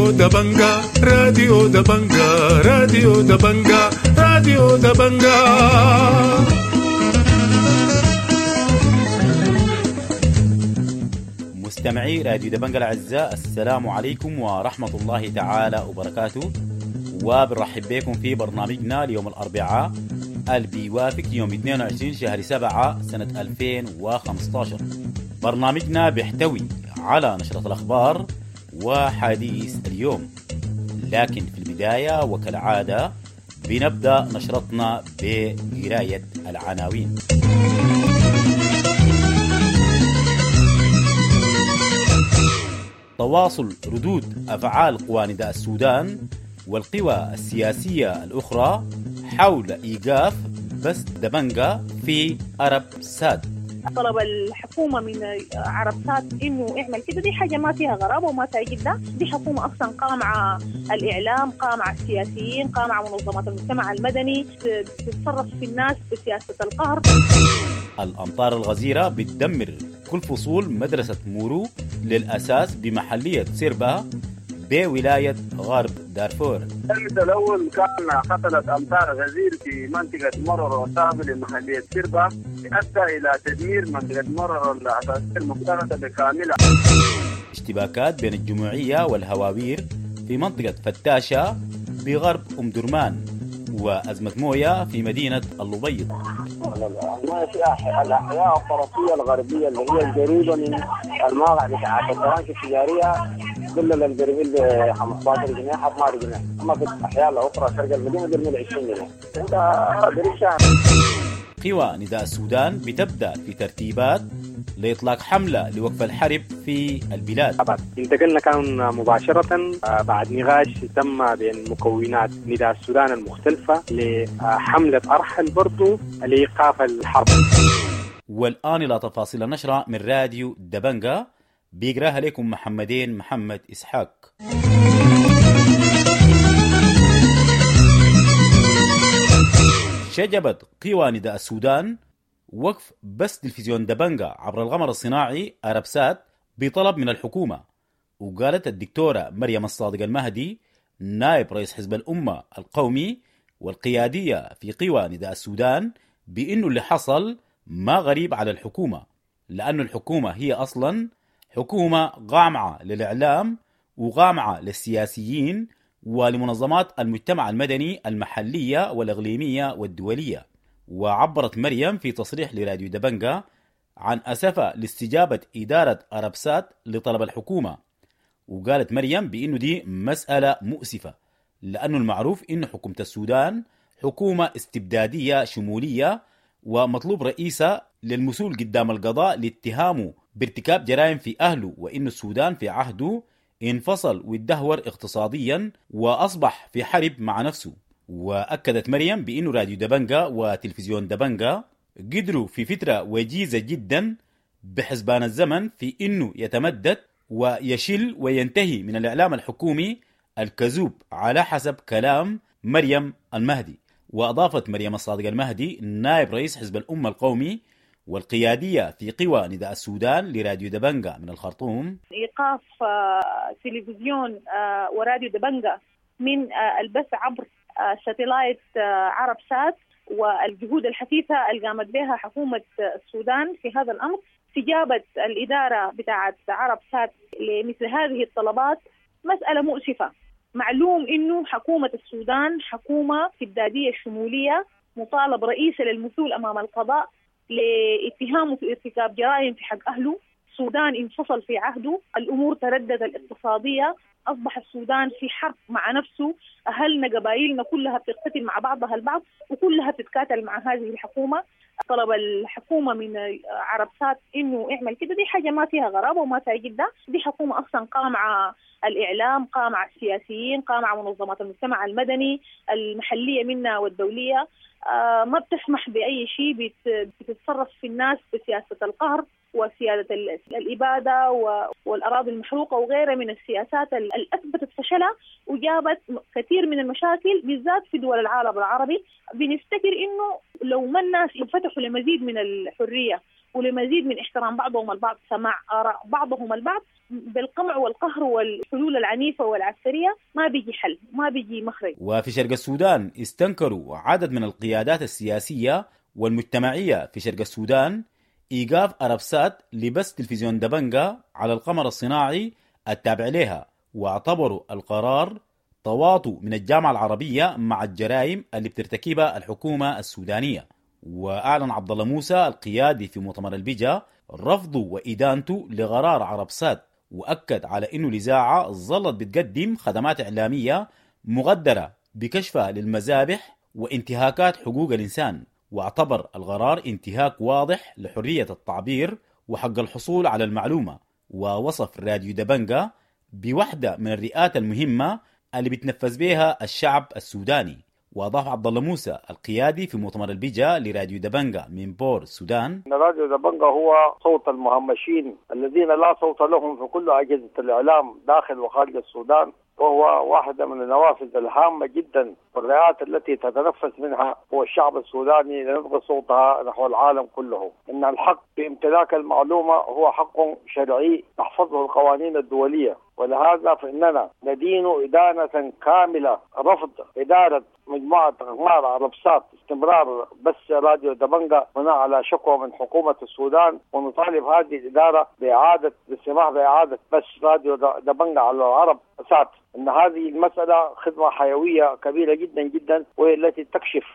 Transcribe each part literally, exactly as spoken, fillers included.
راديو دبنجا، راديو دبنجا، راديو دبنجا، راديو دبنجا. مستمعي راديو دبنجا الأعزاء، السلام عليكم ورحمة الله تعالى وبركاته، وبنرحب بكم في برنامجنا ليوم الأربعاء اللي بيوافق يوم اثنين وعشرين شهر سبعة سنة ألفين وخمستاشر. برنامجنا بيحتوي على نشرة الأخبار وحديث اليوم، لكن في البداية وكالعادة بنبدأ نشرتنا بقراية العناوين. تواصل ردود أفعال قوى نداء السودان والقوى السياسية الأخرى حول إيقاف بث دبنجا في أرب سات. طلب الحكومة من عرب سات إنه يعمل كده، دي حاجة ما فيها غرابة وما فيها جدة. دي حكومة أصلا قامعة الإعلام، قامعة السياسيين، قامعة منظمات المجتمع المدني، تتصرف في الناس بسياسة القهر. الأمطار الغزيرة بتدمر كل فصول مدرسة مورو للأساس بمحلية سيربا بولاية غرب دارفور. الأمس الأول كان حصلت أمطار غزير في منطقة مرر وسابل لمحلية سيربا، أدى إلى تدمير منطقة مرر الأساسية المختلطة بكاملها. اشتباكات بين الجموعية والهواوير في منطقة فتاشة بغرب أم درمان، وأزمة موية في مدينة اللبيض. المياه في الأحياء الطرفية الغربية اللي هي القريبة من المواقع بتاعت البرانش التجارية كل البرميل ب خمستاشر جنيه اثناشر جنيه، اما في الاحياء الاخرى شرق المدينه برميل عشرين جنيه. انت بريشة. قوى نداء السودان بتبدا في ترتيبات لاطلاق حمله لوقف الحرب في البلاد. انتقلنا كان مباشره بعد نقاش تم بين مكونات نداء السودان المختلفه لحمله ارحل برضو لايقاف الحرب. والان الى تفاصيل النشره من راديو دبنجا بيقراها لكم محمدين محمد إسحاق. شجبت قوى نداء السودان وقف بث تلفزيون دبنجا عبر القمر الصناعي أربسات بطلب من الحكومة. وقالت الدكتورة مريم الصادق المهدي نائب رئيس حزب الأمة القومي والقيادية في قوى نداء السودان بأنه اللي حصل ما غريب على الحكومة، لأن الحكومة هي أصلاً حكومة قامعة للإعلام وقامعة للسياسيين ولمنظمات المجتمع المدني المحلية والإقليمية والدولية. وعبرت مريم في تصريح لراديو دبنجا عن أسفها لاستجابة إدارة أربسات لطلب الحكومة. وقالت مريم بأنه دي مسألة مؤسفة، لأنه المعروف أن حكومة السودان حكومة استبدادية شمولية ومطلوب رئيسة للمسؤول قدام القضاء لاتهامه بارتكاب جرائم في أهله، وإن السودان في عهده انفصل واتدهور اقتصاديا وأصبح في حرب مع نفسه. وأكدت مريم بأن راديو دبنجا وتلفزيون دبنجا قدروا في فترة وجيزة جدا بحسبان الزمن في أنه يتمدد ويشل وينتهي من الإعلام الحكومي الكذوب على حسب كلام مريم المهدي. وأضافت مريم الصادق المهدي نائب رئيس حزب الأمة القومي والقيادية في قوى نداء السودان لراديو دبنجا من الخرطوم: إيقاف تلفزيون وراديو دبنجا من البث عبر satellite عرب سات، والجهود الحثيثة اللي قامت بها حكومة السودان في هذا الأمر، استجابة الإدارة بتاعة عرب سات لمثل هذه الطلبات مسألة مؤسفة. معلوم إنه حكومة السودان حكومة استبدادية شمولية، مطالب رئيسة للمثول أمام القضاء لاتهامه في ارتكاب جرائم في حق أهله. السودان انفصل في عهده، الأمور تردد الاقتصادية، أصبح السودان في حرب مع نفسه، أهلنا قبائلنا كلها بتقتل مع بعضها البعض وكلها بتتكاتل مع هذه الحكومة. طلب الحكومة من عرب سات إنه يعمل كده، دي حاجة ما فيها غرابة وما فيها جدة. دي حكومة أصلا قامعة الإعلام، قامعة السياسيين، قامعة منظمات المجتمع المدني المحلية منا والدولية، ما بتسمح بأي شيء، بتتصرف في الناس بسياسة القهر وسيادة الإبادة والأراضي المحروقة وغيرها من السياسات اللي أثبتت فشلها وجابت كثير من المشاكل بالذات في دول العالم العربي. بنفتكر إنه لو ما الناس انفتحوا لمزيد من الحرية ولمزيد من احترام بعضهم البعض، سماع آراء بعضهم البعض. بالقمع والقهر والحلول العنيفة والعسكرية ما بيجي حل، ما بيجي مخرج. وفي شرق السودان استنكروا عدد من القيادات السياسية والمجتمعية في شرق السودان إيقاف أرابسات لبث تلفزيون دبنجا على القمر الصناعي التابع لها، واعتبروا القرار تواطؤ من الجامعة العربية مع الجرائم اللي بترتكبها الحكومة السودانية. وأعلن عبد الله موسى القيادي في مؤتمر البجا رفضه وإدانته لقرار عربسات، وأكد على أنه الإذاعة ظلت بتقدم خدمات إعلامية مغدرة بكشفها للمذابح وانتهاكات حقوق الإنسان، واعتبر القرار انتهاك واضح لحرية التعبير وحق الحصول على المعلومة. ووصف راديو دبنجا بوحدة من الرئات المهمة اللي بتنفذ بها الشعب السوداني. وأضاف عبد الله موسى القيادي في مؤتمر البجا لراديو دبنجا من بور السودان: راديو دبنجا هو صوت المهمشين الذين لا صوت لهم في كل أجهزة الإعلام داخل وخارج السودان، وهو واحدة من النوافذ الهامة جدا والرئات التي تتنفس منها هو الشعب السوداني لنبغي صوتها نحو العالم كله. إن الحق بامتلاك المعلومة هو حق شرعي تحفظه القوانين الدولية، ولهذا فإننا ندين إدانة كاملة رفض إدارة مجموعة أقمار عربسات استمرار بث راديو دبنجا بناء على شكوى من حكومة السودان، ونطالب هذه الإدارة بإعادة السماح بإعادة بث راديو دبنجا على العرب سات. إن هذه المسألة خدمة حيوية كبيرة جدا جدا، وهي التي تكشف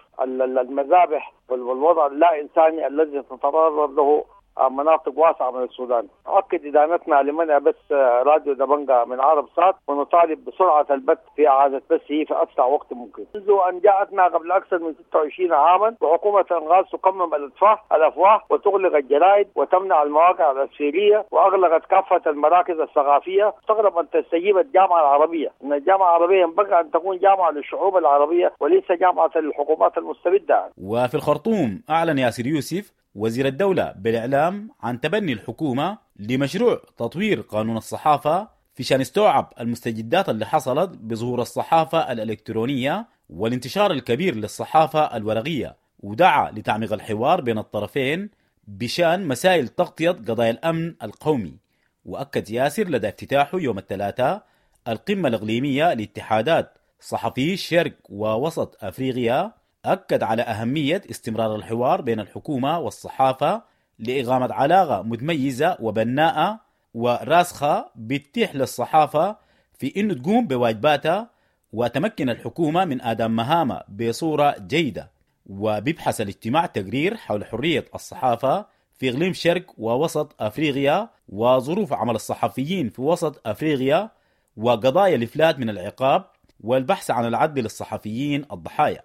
المذابح والوضع اللا إنساني الذي تتضرر له مناطق واسعة من السودان. أؤكد إدانتنا لمنع بث راديو دبنجا من عرب سات، ونطالب بسرعة البث في إعادة بثه في أسرع وقت ممكن. منذ أن جاءتنا قبل أكثر من ستة وعشرين عاما وحكومة الإنغاز تقمم الأفواه الأفواه وتغلق الجرائد وتمنع المواقع الأسفيرية وأغلقت كافة المراكز الثقافية، استغرب أن تستجيب الجامعة العربية. إن الجامعة العربية ينبغي أن تكون جامعة للشعوب العربية وليس جامعة للحكومات المستبدة. وفي الخرطوم أعلن ياسر يوسف وزير الدولة بالإعلام عن تبني الحكومة لمشروع تطوير قانون الصحافة في شان استوعب المستجدات اللي حصلت بظهور الصحافة الإلكترونية والانتشار الكبير للصحافة الورقية، ودعا لتعميق الحوار بين الطرفين بشان مسائل تغطية قضايا الأمن القومي. وأكد ياسر لدى افتتاحه يوم الثلاثاء القمة الإقليمية لاتحادات صحفي شرق ووسط أفريقيا، أكد على أهمية استمرار الحوار بين الحكومة والصحافة لإقامة علاقة متميزة وبناءة وراسخة بتتيح للصحافة في إنه تقوم بواجباتها وتمكن الحكومة من أداء مهامها بصورة جيدة. وبيبحث الاجتماع تقرير حول حرية الصحافة في إقليم شرق ووسط أفريقيا وظروف عمل الصحفيين في وسط أفريقيا وقضايا الإفلات من العقاب والبحث عن العدل للصحفيين الضحايا.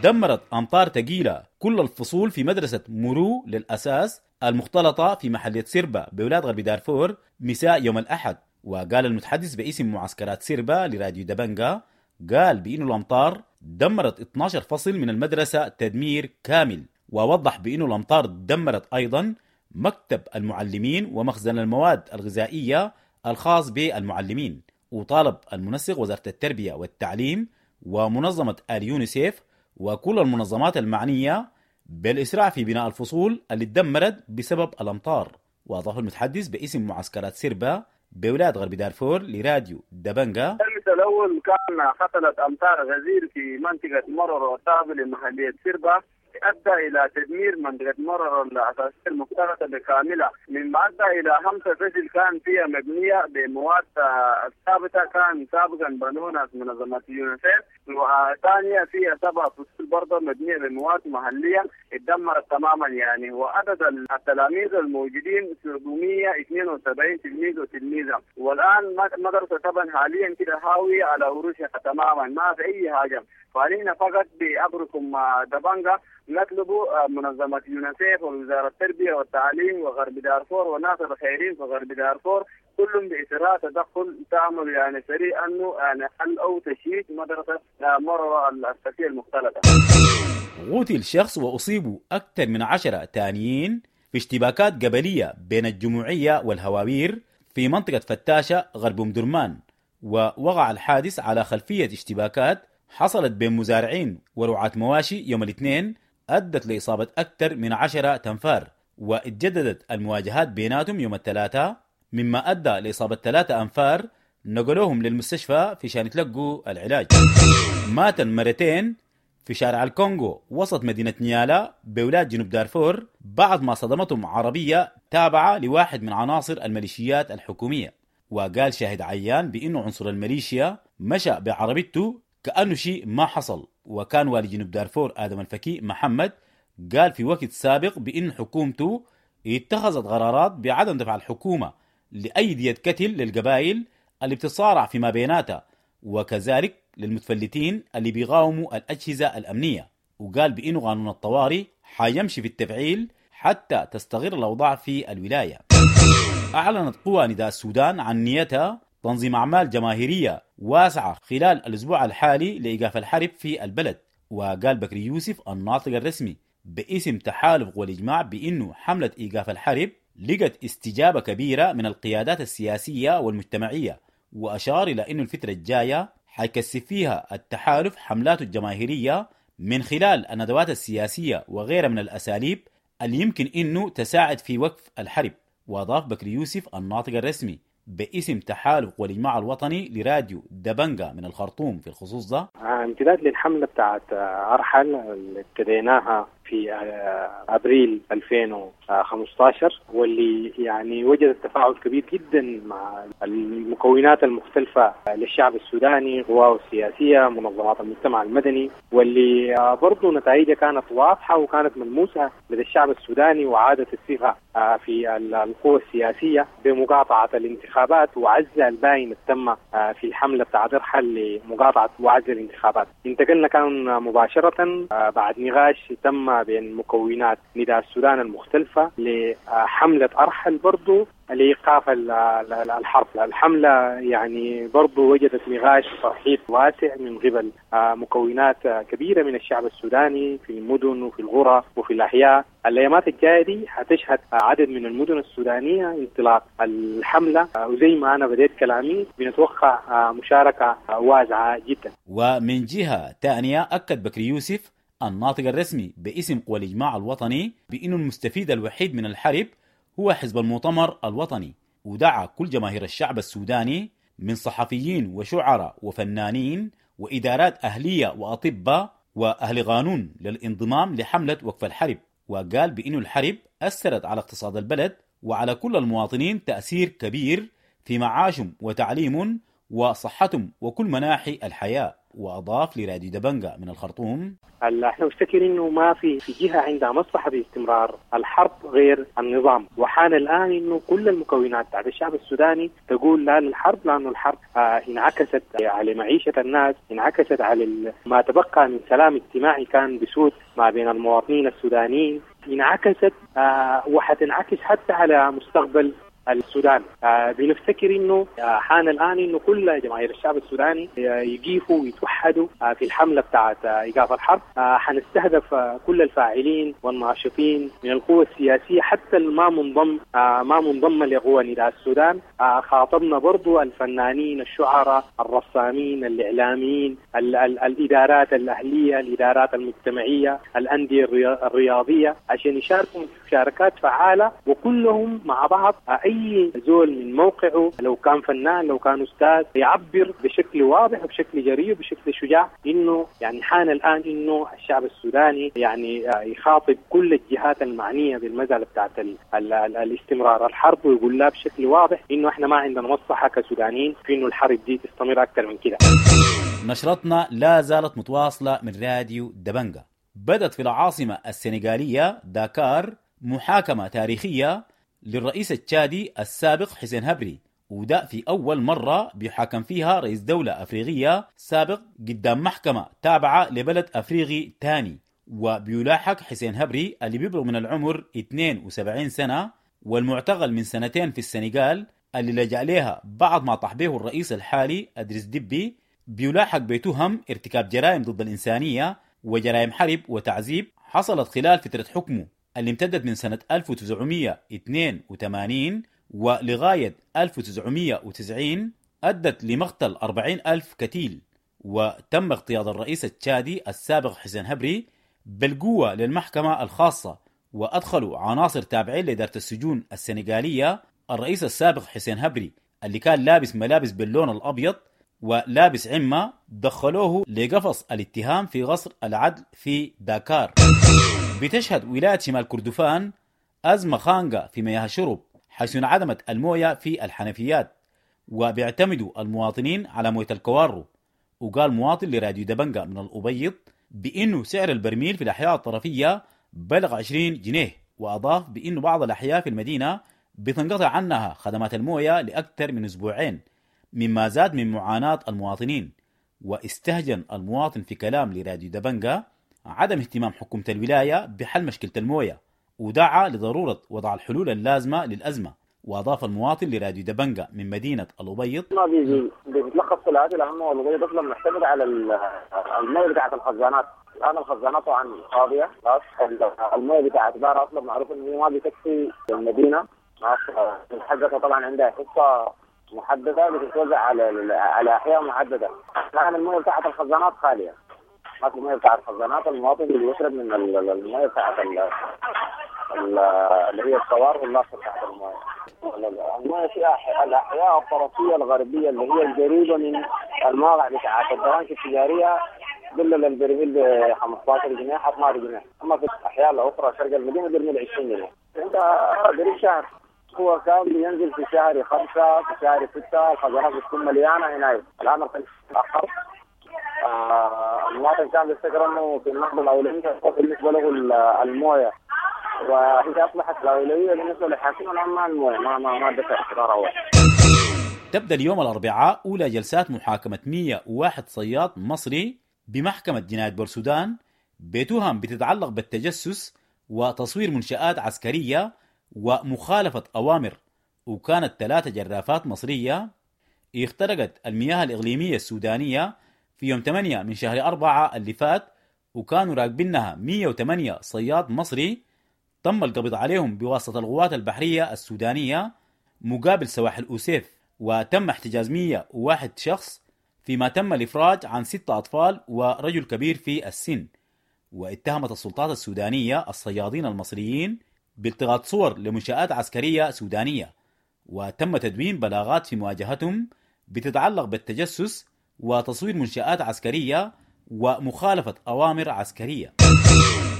دمرت أمطار ثقيلة كل الفصول في مدرسة مرو للأساس المختلطة في محلية سيربا بولاية غرب دارفور مساء يوم الأحد. وقال المتحدث باسم معسكرات سيربا لراديو دبنجا، قال بأن الأمطار دمرت اثني عشر فصل من المدرسة تدمير كامل، ووضح بأن الأمطار دمرت أيضا مكتب المعلمين ومخزن المواد الغذائية الخاص بالمعلمين. وطالب المنسق وزارة التربية والتعليم ومنظمة اليونيسيف وكل المنظمات المعنية بالإسراع في بناء الفصول اللي تدمرت بسبب الأمطار. وأضاف المتحدث باسم معسكرات سيربا بولاية غرب دارفور لراديو دبنجا: الأمس الأول كان حصلت أمطار غزير في منطقة مرر وطابل لمحلية سيربا، أدى إلى تدمير منطقة مرر الأساسية المختلطة بكاملة، مما أدى إلى خمسة فصل كان فيها مبنية بمواد ثابتة كان سابقا بنونها منظمة يونيسيف، وثانية فيها سبع فصول برضه مبنية بمواد محلية اتدمرت تماما يعني. وعدد التلاميذ الموجودين سبعمية واثنين وسبعين تلميذ وتلميذة، والآن مدرسة طبعا حاليا كده هاوية على عروشها تماما، ما في أي حاجة. فعلينا فقط بأمركم دبنجا نطلب منظمة يونيسيف ووزارة التربية والتعليم وغرب دارفور والناس الخيرين في غرب دارفور كلهم بإسراء تدخل تعمل يعني سريع أنه يعني حل أو تشييد مدرسة مرة الأساسية المختلطة. قتل شخص وأصيبوا أكثر من عشرة تانيين في اشتباكات قبلية بين الجموعية والهواوير في منطقة فتاشة غرب أم درمان. ووقع الحادث على خلفية اشتباكات حصلت بين مزارعين ورعاة مواشي يوم الاثنين أدت لإصابة أكثر من عشرة تنفار. واتجددت المواجهات بيناتهم يوم الثلاثاء، مما أدى لإصابة ثلاثة أنفار نقلوهم للمستشفى في شان يتلقوا العلاج. مات مرتين في شارع الكونغو وسط مدينة نيالا بولاية جنوب دارفور بعد ما صدمتهم عربية تابعة لواحد من عناصر الميليشيات الحكومية. وقال شاهد عيان بأنه عنصر الميليشيا مشى بعربيته كأنه شيء ما حصل. وكان والي جنوب دارفور آدم الفكي محمد قال في وقت سابق بأن حكومته اتخذت قرارات بعدم دفع الحكومة لأي دية قتل للقبائل اللي بتتصارع فيما بيناتها، وكذلك للمتفلتين اللي بيقاوموا الأجهزة الأمنية. وقال بأنه قانون الطوارئ حيمشي في التفعيل حتى تستقر الأوضاع في الولاية. أعلنت قوى نداء السودان عن نيتها تنظيم أعمال جماهيرية واسعة خلال الأسبوع الحالي لإيقاف الحرب في البلد. وقال بكري يوسف الناطق الرسمي باسم تحالف قوى الإجماع بأنه حملة إيقاف الحرب لقت استجابة كبيرة من القيادات السياسية والمجتمعية، وأشار إلى أنه الفترة الجاية حيكثف فيها التحالف حملاته الجماهيرية من خلال الندوات السياسية وغيرها من الأساليب اللي يمكن أنه تساعد في وقف الحرب. وأضاف بكري يوسف الناطق الرسمي باسم تحالف قوى الإجماع الوطني لراديو دبنجا من الخرطوم في الخصوص ده: امتداد للحملة بتاعت أرحل اللي ابتديناها في أبريل ألفين وخمسة عشر، واللي يعني وجدت تفاعل كبير جدا مع المكونات المختلفة للشعب السوداني، قواه السياسية، منظمات المجتمع المدني، واللي برضو نتائجها كانت واضحة وكانت ملموسة لدى الشعب السوداني، وعادت الثقة في القوى السياسية بمقاطعة الانتخابات وعزل الباين تم في الحملة بتاعت ارحل لمقاطعة وعزل الانتخابات. انتقلنا كان مباشرة بعد نقاش تم بين مكونات نداء السودان المختلفة لحملة أرحل برضو لإيقاف الحرب. الحملة يعني برضو وجدت نقاش وترحيب واسع من قبل مكونات كبيرة من الشعب السوداني في المدن وفي القرى وفي الأحياء. الأيامات الجاية دي هتشهد عدد من المدن السودانية انطلاق الحملة، وزي ما أنا بديت كلامي بنتوقع مشاركة واسعة جدا. ومن جهة ثانية أكد بكري يوسف الناطق الرسمي باسم قوى الإجماع الوطني بأنه المستفيد الوحيد من الحرب هو حزب المؤتمر الوطني، ودعا كل جماهير الشعب السوداني من صحفيين وشعراء وفنانين وإدارات أهلية وأطباء وأهل قانون للانضمام لحملة وقف الحرب. وقال بأنه الحرب أثرت على اقتصاد البلد وعلى كل المواطنين تأثير كبير في معاشهم وتعليمهم وصحتهم وكل مناحي الحياة. وأضاف لراديو دبنجا من الخرطوم: احنا نفتكر انه ما في في جهه عندها مصلحه باستمرار الحرب غير النظام، وحان الان انه كل المكونات تاعت الشعب السوداني تقول لا للحرب، لانه الحرب آه انعكست على معيشه الناس، انعكست على ما تبقى من سلام اجتماعي كان بسود ما بين المواطنين السودانيين، انعكست آه وحتنعكس حتى على مستقبل السودان. آه بنفتكر انه آه حان الان انه كل جماهير الشعب السوداني آه يقيفوا ويتوحدوا آه في الحمله بتاعت آه ايقاف الحرب. آه حنستهدف آه كل الفاعلين والناشطين من القوى السياسيه حتى ما منضم آه ما منضمه لقوى نداء السودان. آه خاطبنا برضو الفنانين، الشعراء، الرسامين، الاعلاميين، ال ال الادارات الاهليه، الادارات المجتمعيه، الانديه الرياضيه، عشان يشاركوا مشاركات فعاله وكلهم مع بعض. آه اي زول من موقعه، لو كان فنان لو كان استاذ، يعبر بشكل واضح وبشكل جريء وبشكل شجاع انه يعني حان الان انه الشعب السوداني يعني يخاطب كل الجهات المعنيه بالمساله بتاعت ال ال ال الاستمرار الحرب، ويقول لها بشكل واضح انه احنا ما عندنا مصلحه كسودانيين في انه الحرب دي تستمر اكثر من كده. نشرتنا لا زالت متواصله من راديو دبنجا. بدت في العاصمه السنغاليه داكار محاكمه تاريخيه للرئيس التشادي السابق حسين هبري، وده في أول مرة بيحاكم فيها رئيس دولة أفريقية سابق قدام محكمة تابعة لبلد أفريقي تاني. وبيلاحق حسين هبري اللي بيبلغ من العمر اثنين وسبعين سنة والمعتقل من سنتين في السنغال اللي لجأ لها بعد ما طاح به الرئيس الحالي أدريس دبي، بيلاحق بتهم ارتكاب جرائم ضد الإنسانية وجرائم حرب وتعذيب حصلت خلال فترة حكمه اللي امتدت من سنة ألف وتسعمية واثنين وثمانين ولغاية ألف وتسعمية وتسعين، أدت لمقتل أربعين ألف قتيل. وتم اغتيال الرئيس التشادي السابق حسين هبري بالقوة للمحكمة الخاصة، وأدخلوا عناصر تابعين لإدارة السجون السنغالية الرئيس السابق حسين هبري اللي كان لابس ملابس باللون الأبيض ولابس عمة، دخلوه لقفص الاتهام في قصر العدل في داكار. بتشهد ولاية شمال كردفان أزمة خانقة في مياه الشرب، حيث انعدمت الموية في الحنفيات وبيعتمدوا المواطنين على موية الكوارو. وقال مواطن لراديو دبنجة من الأبيض بأنه سعر البرميل في الأحياء الطرفية بلغ عشرين جنيه، وأضاف بأنه بعض الأحياء في المدينة بتنقطع عنها خدمات الموية لأكثر من أسبوعين، مما زاد من معاناة المواطنين. واستهجن المواطن في كلام لراديو دبنجة عدم اهتمام حكومة الولاية بحل مشكلة الموية، ودعا لضرورة وضع الحلول اللازمة للأزمة. وأضاف المواطن لراديو دبنجة من مدينة الأبيض: ما بيجي بيتلخص في العادة لأنه الأبيض أصلا معتمد على الموية بتاعة الخزانات. الآن الخزانات طبعا فاضية، الموية بتاعة بارة أصلا معروف إنه ما بتكفي المدينة، حقتها طبعا عندها حصة محددة بتتوزع على على أحياء محددة. الآن الموية بتاعة الخزانات خالية، ما في موية بتاعة الخزانات، المواطن بيشرب من الموية بتاعة اللي هي الصوار واللاصق بتاعة الموية. الموية في الأحياء الطرفية الغربية اللي هي القريبة من المواقع بتاعة البرانش التجارية دل البرميل ب خمستاشر جنيه اثناشر جنيه، أما في الأحياء الأخرى شرق المدينة برميل عشرين جنيه. أنت قريب شهر هو كان بينزل في شهر خمسة في شهر ستة، الخزانات بتكون مليانة هناك. الآن تأخر. آه المواطن كان بيفتكر إنه في النهضة الأولوية بالنسبة له الموية، وهي أصبحت الأولوية بالنسبة للحاكم الآن ما الموية، ما ما ما دفع اعتبار أول. تبدأ اليوم الأربعاء أولى جلسات محاكمة مئة وواحد صياد مصري بمحكمة جناية بورسودان بتهم بتتعلق بالتجسس وتصوير منشآت عسكرية ومخالفة أوامر. وكانت ثلاثة جرافات مصرية اخترقت المياه الإقليمية السودانية في يوم ثمانية من شهر أربعة اللي فات، وكانوا راكبينها مئة وثمانية صياد مصري تم القبض عليهم بواسطة القوات البحرية السودانية مقابل سواحل أوسيف، وتم احتجاز مئة وواحد شخص، فيما تم الإفراج عن ستة أطفال ورجل كبير في السن. واتهمت السلطات السودانية الصيادين المصريين بالتقاط صور لمنشآت عسكرية سودانية، وتم تدوين بلاغات في مواجهتهم بتتعلق بالتجسس وتصوير منشآت عسكرية ومخالفة أوامر عسكرية.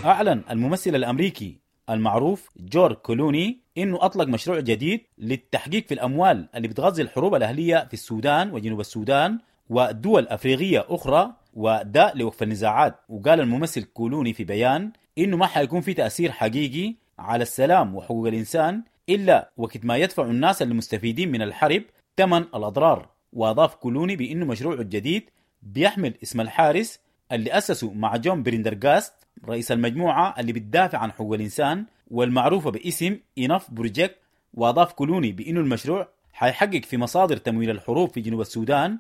أعلن الممثل الأمريكي المعروف جورج كلوني إنه أطلق مشروع جديد للتحقيق في الأموال اللي بتغذي الحروب الأهلية في السودان وجنوب السودان ودول أفريقية أخرى، وده لوقف النزاعات. وقال الممثل كولوني في بيان إنه ما حيكون في تأثير حقيقي على السلام وحقوق الإنسان إلا وقت ما يدفع الناس المستفيدين من الحرب ثمن الأضرار. وأضاف كولوني بأنه مشروعه الجديد بيحمل اسم الحارس اللي أسسه مع جون بريندرغاست رئيس المجموعة اللي بتدافع عن حقوق الإنسان والمعروفة باسم Enough Project. وأضاف كولوني بأنه المشروع حيحقق في مصادر تمويل الحروب في جنوب السودان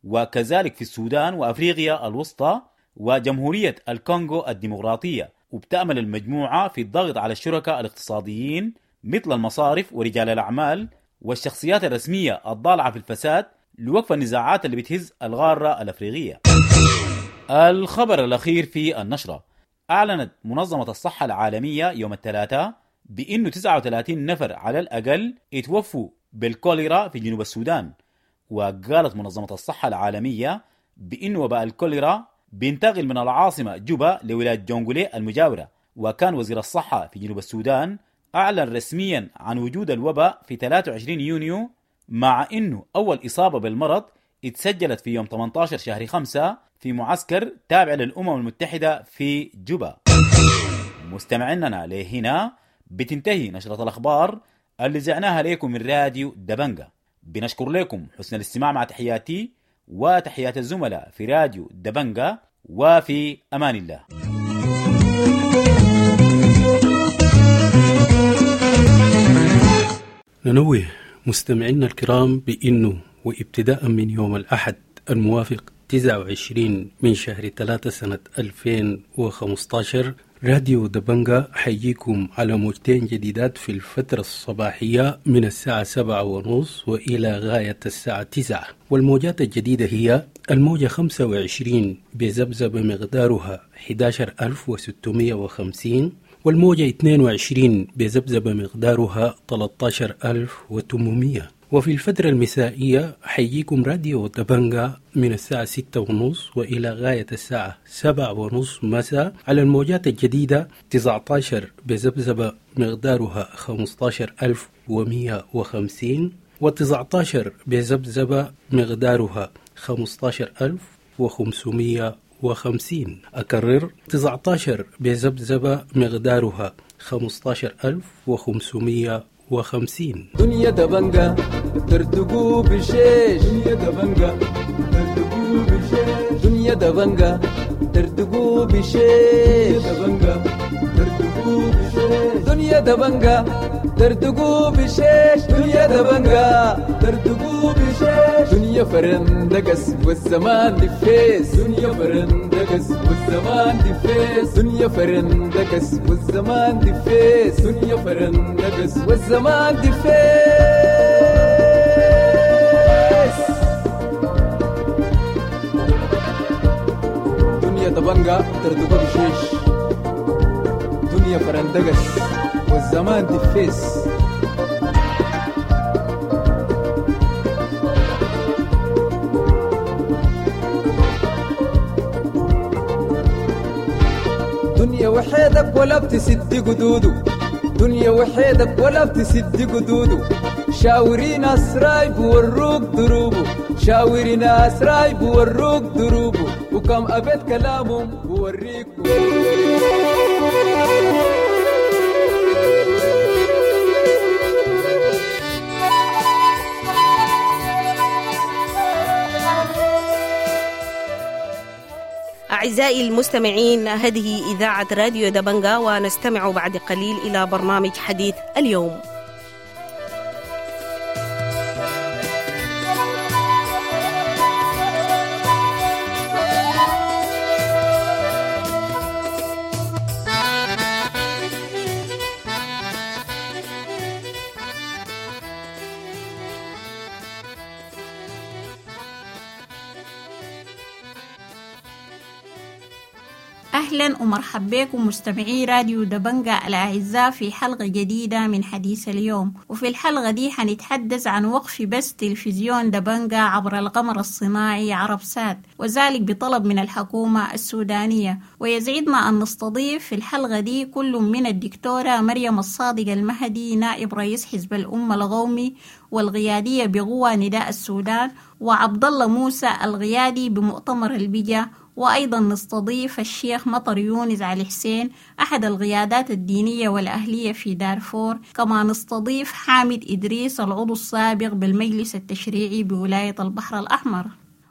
وكذلك في السودان وأفريقيا الوسطى وجمهورية الكونغو الديمقراطية. وبتأمل المجموعة في الضغط على الشركاء الاقتصاديين مثل المصارف ورجال الأعمال والشخصيات الرسمية الضالعة في الفساد لوقف النزاعات اللي بتهز الغارة الأفريقية. الخبر الأخير في النشرة: أعلنت منظمة الصحة العالمية يوم الثلاثاء بأنه تسعة وثلاثين نفر على الأقل اتوفوا بالكوليرا في جنوب السودان. وقالت منظمة الصحة العالمية بأن وباء الكوليرا بينتقل من العاصمة جوبا لولاية جونغولي المجاورة. وكان وزير الصحة في جنوب السودان أعلن رسميا عن وجود الوباء في ثلاثة وعشرين يونيو، مع أنه أول إصابة بالمرض اتسجلت في يوم ثمانية عشر شهر خمسة في معسكر تابع للأمم المتحدة في جوبا. مستمعيننا لهنا بتنتهي نشرة الأخبار اللي زعناها لكم من راديو دبنجة. بنشكر لكم حسن الاستماع مع تحياتي وتحيات الزملاء في راديو دبنجة، وفي أمان الله. ننوه مستمعينا الكرام بأنه وابتداء من يوم الأحد الموافق تسعة وعشرين من شهر ثلاثة سنة ألفين وخمسة عشر راديو دبنجة حييكم على موجتين جديدات في الفترة الصباحية من الساعة سبعة ونص وإلى غاية الساعة تسعة، والموجات الجديدة هي الموجة خمسة وعشرين بذبذبة مقدارها أحد عشر ألف وستمائة وخمسين، والموجة اثنين وعشرين بذبذبة مقدارها ثلاثة عشر ألف وثمانمئة. وفي الفترة المسائية حيجيكم راديو دبنجا من الساعة ستة ونص وإلى غاية الساعة سبعة ونص مساء على الموجات الجديدة تسعة عشر بذبذبة مقدارها خمسة عشر ألف ومئة وخمسين وتسعة عشر بذبذبة مقدارها خمسة عشر ألف وخمسمئة وخمسين. أكرر تسعة عشر بذبذبة مقدارها خمسة عشر ألف وخمسمئة وخمسين. دنيا دبنجا ترتقو بشيش، دنيا دبنجا ترتقو بشيش، دنيا دبنجا ترتقو بشيش، دبنجا ترتقو بشيش، دنيا دبنجا ترتقو بشيش، دنيا دبنجا ترتقو بشيش، دنيا فرندقس والزمان دفيس، دنيا فرندقس والزمان دفيس، دنيا فرندقس والزمان دفيس، دنيا فرندقس والزمان دفيس. دنيا دبنجا ترتقو بشيش، دنيا فرندقس والزمان دفيس. دنيا وحيدك ولا بتسد قدوده، دنيا وحيدك ولا بتسد قدوده، شاوري ناس رايب وروك دروبه، شاوري ناس رايب وروك دروبه، وكم أبيت كلامهم بوريك. أعزائي المستمعين، هذه إذاعة راديو دبنجا، ونستمع بعد قليل إلى برنامج حديث اليوم. أهلا ومرحبا بكم مستمعي راديو دبنجا الأعزاء في حلقة جديدة من حديث اليوم. وفي الحلقة دي حنتحدث عن وقف بث تلفزيون دبنجا عبر القمر الصناعي عرب سات، وذلك بطلب من الحكومة السودانية. ويسعدنا أن نستضيف في الحلقة دي كل من الدكتورة مريم الصادق المهدي نائب رئيس حزب الأمة القومي والقيادية بقوى نداء السودان، وعبد الله موسى القيادي بمؤتمر البجا، وأيضا نستضيف الشيخ مطر يونس علي حسين أحد القيادات الدينية والأهلية في دارفور، كما نستضيف حامد إدريس العضو السابق بالمجلس التشريعي بولاية البحر الأحمر.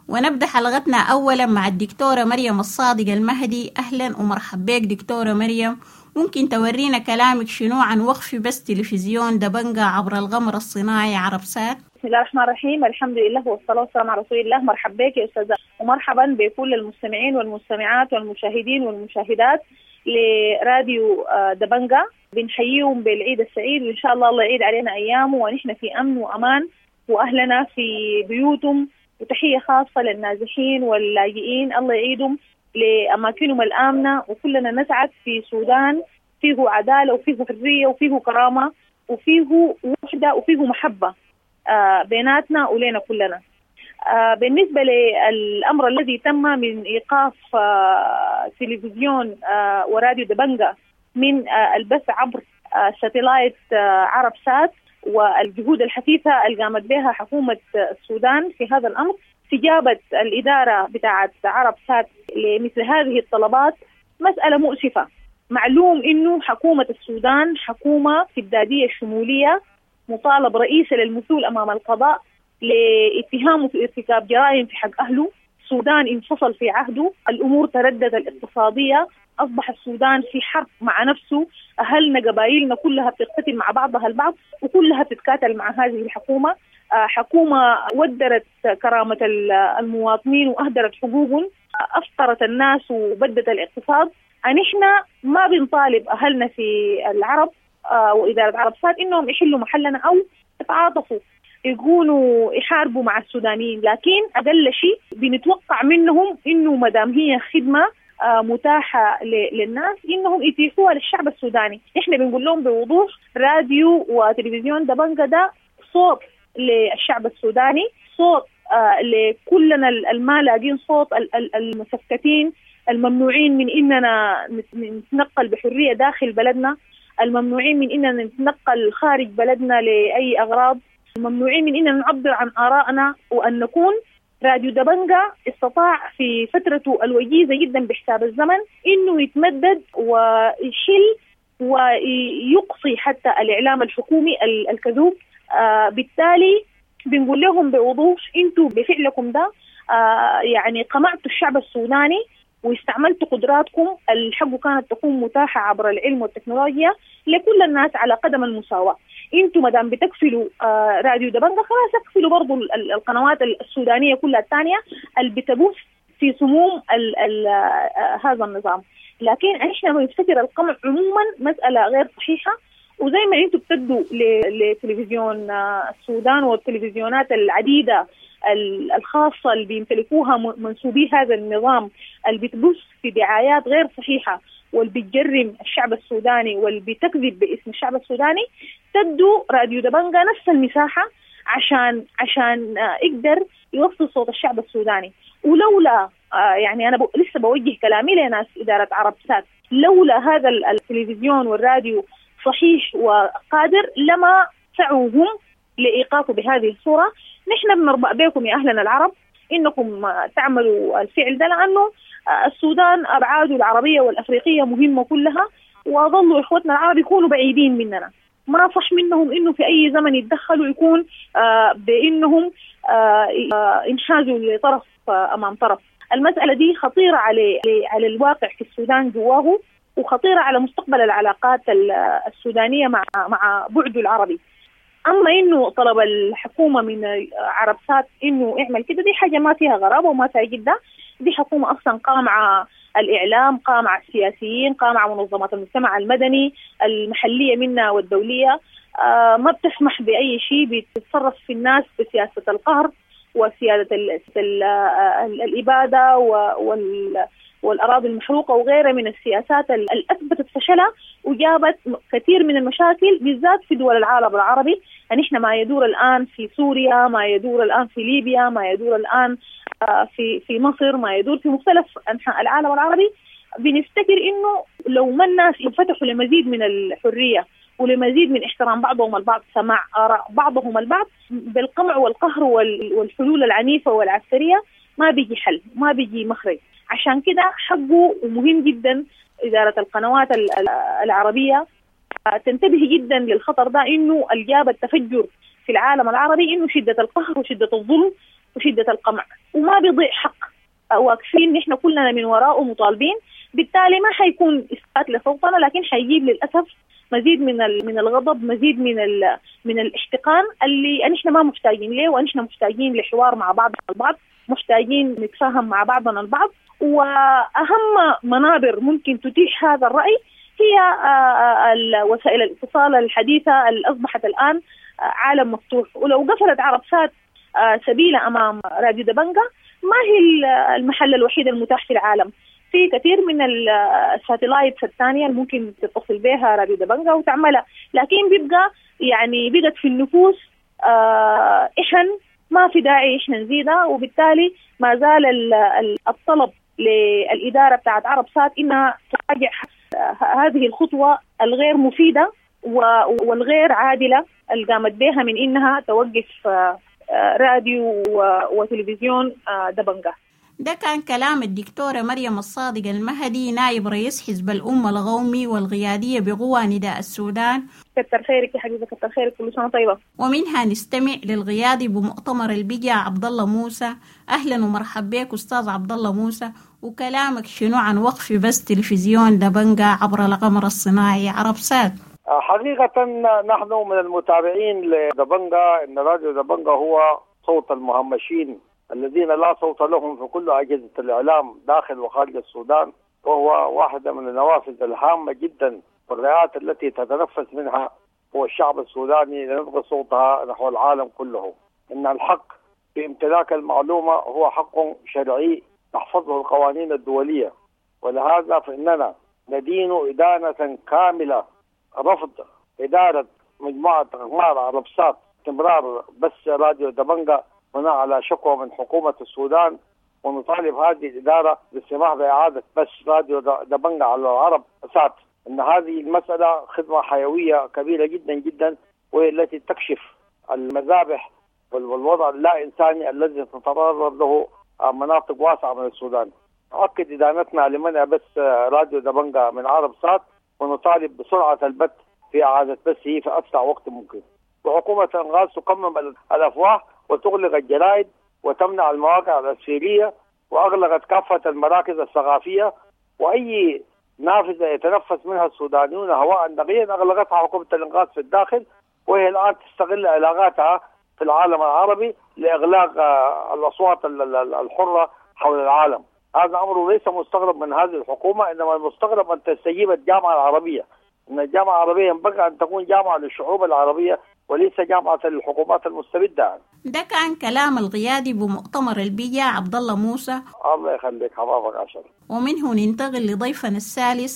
ونبدأ حلقتنا أولا مع الدكتورة مريم الصادق المهدي. أهلا ومرحبا بك دكتورة مريم، ممكن تورينا كلامك شنو عن وقف بث تلفزيون دبنجا عبر القمر الصناعي عرب سات؟ بسم الله الرحمن الرحيم، الحمد لله والصلاة والسلام على رسول الله. مرحبا بك يا أستاذة، ومرحبا بكل المستمعين والمستمعات والمشاهدين والمشاهدات لراديو دبنجا. بنحييهم بالعيد السعيد، وإن شاء الله الله يعيد علينا أيامه ونحن في أمن وأمان وأهلنا في بيوتهم، وتحية خاصة للنازحين واللاجئين، الله يعيدهم لأماكنهم الآمنة، وكلنا نسعد في سودان فيه عدالة وفيه حرية وفيه كرامة وفيه وحدة وفيه محبة بيناتنا ولينا كلنا. بالنسبة للأمر الذي تم من إيقاف تلفزيون وراديو دبنجا من البث عبر satellite عرب سات، والجهود الحثيثة اللي قامت بها حكومة السودان في هذا الأمر، استجابة الإدارة بتاعة عرب سات لمثل هذه الطلبات مسألة مؤسفة. معلوم إنه حكومة السودان حكومة استبدادية شمولية، مطالب رئيسة للمثول أمام القضاء لاتهامه في ارتكاب جرائم في حق أهله. السودان انفصل في عهده، الأمور تردد الاقتصادية، أصبح السودان في حرب مع نفسه، أهلنا قبائلنا كلها بتقتل مع بعضها البعض وكلها بتتكاتل مع هذه الحكومة. حكومة ودرت كرامة المواطنين وأهدرت حقوقهم، أفقرت الناس وبدت الاقتصاد. نحن ما بنطالب أهلنا في العرب وإدارة عرب سات إنهم يحلوا محلنا أو يتعاطفوا يكونوا يحاربوا مع السودانيين، لكن أقل شيء بنتوقع منهم إنه مدام هي خدمة متاحة للناس إنهم يتيحوها للشعب السوداني. إحنا بنقول لهم بوضوح راديو وتلفزيون دبنجة ده صوت للشعب السوداني، صوت لكلنا الما لاقين صوت، المسكتين الممنوعين من إننا نتنقل بحرية داخل بلدنا، الممنوعين من إننا نتنقل خارج بلدنا لأي أغراض، الممنوعين من إننا نعبر عن آرائنا وأن نكون. راديو دبنجة استطاع في فترته الوجيزة جدا بحساب الزمن إنه يتمدد ويشيل ويقصي حتى الإعلام الحكومي الكذوب. آه بالتالي بنقول لهم بوضوح انتوا بفعلكم ده آه يعني قمعتوا الشعب السوداني واستعملتوا قدراتكم الحق كانت تكون متاحة عبر العلم والتكنولوجيا لكل الناس على قدم المساواة. انتوا مدام بتكفلوا آه راديو دبنجة خلاص اكفلوا برضو القنوات السودانية كلها الثانية اللي بتبث في سموم ال ال آه هذا النظام. لكن احنا بنفتكر القمع عموما مسألة غير صحيحة، وزي ما انتوا بتدوا لتلفزيون السودان والتلفزيونات العديدة الخاصة اللي بيمتلكوها منسوبي هذا النظام اللي بتبث في دعايات غير صحيحة واللي بتجرم الشعب السوداني واللي بتكذب باسم الشعب السوداني، تدوا راديو دبنجة نفس المساحة عشان عشان يقدر يوصل صوت الشعب السوداني. ولولا يعني أنا لسه بوجه كلامي لناس إدارة عرب سات، لولا هذا التلفزيون والراديو صحيح وقادر لما سعوهم لإيقافه بهذه الصورة. نحن بنربأ بكم يا أهلنا العرب إنكم تعملوا الفعل ده، لأنه السودان أبعاده العربية والأفريقية مهمة كلها، وظلوا إخوتنا العرب يكونوا بعيدين مننا. ما صح منهم إنه في أي زمن يتدخلوا يكون بإنهم انحازوا لطرف أمام طرف. المسألة دي خطيرة على على الواقع في السودان جواه، وخطيرة على مستقبل العلاقات السودانية مع مع بعده العربي. أما إنه طلب الحكومة من عرب سات إنه اعمل كده، دي حاجة ما فيها غرابة وما فيها جدة. دي حكومة أصلا قامعة الإعلام، قامعة السياسيين، قامعة منظمات المجتمع المدني المحلية منا والدولية، آه ما بتسمح بأي شيء، بتتصرف في الناس بسياسة القهر وسيادة ال ال ال الإبادة وال والأراضي المحروقة وغيرها من السياسات اللي أثبتت فشلها وجابت كثير من المشاكل بالذات في دول العالم العربي. يعني إحنا ما يدور الآن في سوريا، ما يدور الآن في ليبيا، ما يدور الآن في في مصر، ما يدور في مختلف أنحاء العالم العربي، بنفتكر إنه لو ما الناس انفتحوا لمزيد من الحرية ولمزيد من احترام بعضهم البعض، سماع آراء بعضهم البعض، بالقمع والقهر والحلول العنيفة والعسكرية ما بيجي حل، ما بيجي مخرج. عشان كده حقه ومهم جدا إدارة القنوات العربية تنتبه جدا للخطر ده، إنه الجاب التفجر في العالم العربي إنه شدة القهر وشدة الظلم وشدة القمع، وما بيضيع حق، واقفين نحن كلنا من وراءه مطالبين. بالتالي ما حيكون إثبات لصوتنا، لكن حيجيب للأسف مزيد من من الغضب، مزيد من من الاحتقان اللي نحن ما محتاجين له، ونحن محتاجين لحوار مع بعضنا البعض، محتاجين نتفاهم مع بعضنا البعض. وأهم منابر ممكن تتيح هذا الرأي هي وسائل الاتصال الحديثة اللي أصبحت الآن عالم مفتوح. ولو قفلت عرب سات سبيل أمام راديو دبنجة، ما هي المحل الوحيد المتاح في العالم، في كثير من ال satellites الثانية اللي ممكن تتصل بها راديو دبنجة وتعملها، لكن بيبقى يعني بقت في النفوس إحن ما في داعي إحنا نزيدها. وبالتالي ما زال الطلب للإدارة بتاعت عرب سات إنها تراجع هذه الخطوة الغير مفيدة والغير عادلة اللي قامت بها من إنها توقف راديو وتلفزيون دبنجة. ده كان كلام الدكتورة مريم الصادق المهدي، نائب رئيس حزب الأمة القومي والقيادية بقوى نداء السودان. كتر خيرك يا حبيبة، كتر خيرك، كل سنة طيبة. ومنها نستمع للقيادي بمؤتمر البجا عبد الله موسى. أهلا ومرحبا بك أستاذ عبد الله موسى، وكلامك شنو عن وقف بس تلفزيون دبنجة عبر القمر الصناعي عرب سات؟ حقيقة نحن من المتابعين لدبنجة، إن راديو دبنجة هو صوت المهمشين الذين لا صوت لهم في كل أجهزة الإعلام داخل وخارج السودان، وهو واحدة من النوافذ الهامة جدا والرئات التي تتنفس منها هو الشعب السوداني لنبغي صوتها نحو العالم كله. إن الحق في امتلاك المعلومة هو حق شرعي تحفظه القوانين الدولية، ولهذا فإننا ندين إدانة كاملة رفض إدارة مجموعة أقمار عرب سات استمرار بث راديو دبنجا بناء على شكوى من حكومة السودان، ونطالب هذه الإدارة بالسماح بإعادة بث راديو دبنجا على العرب سات. إن هذه المسألة خدمة حيوية كبيرة جدا جدا، وهي التي تكشف المذابح والوضع اللا إنساني الذي تتعرض له مناطق واسعة من السودان. نؤكد إدانتنا لمنع بث راديو دبنجا من عرب سات، ونطالب بسرعة البت في إعادة بثه في أسرع وقت ممكن. وحكومة الإنقاذ تقمم الأفواه وتغلق الجرائد وتمنع المواقع الأسفيرية، وأغلقت كافة المراكز الثقافية، وأي نافذة يتنفس منها السودانيون هواء نقيا أغلقتها حكومة الإنقاذ في الداخل، وهي الآن تستغل علاقاتها في العالم العربي لإغلاق الأصوات الحرة حول العالم. هذا أمر ليس مستغرب من هذه الحكومة، إنما المستغرب أن تستجيب الجامعة العربية. إن الجامعة العربية ينبغي أن تكون جامعة للشعوب العربية وليس جامعة للحكومات المستبدة. ده كان كلام القيادي بمؤتمر البيجا عبد الله موسى. الله يخليك حبابك عشر. ومنه ننتقل لضيفنا الثالث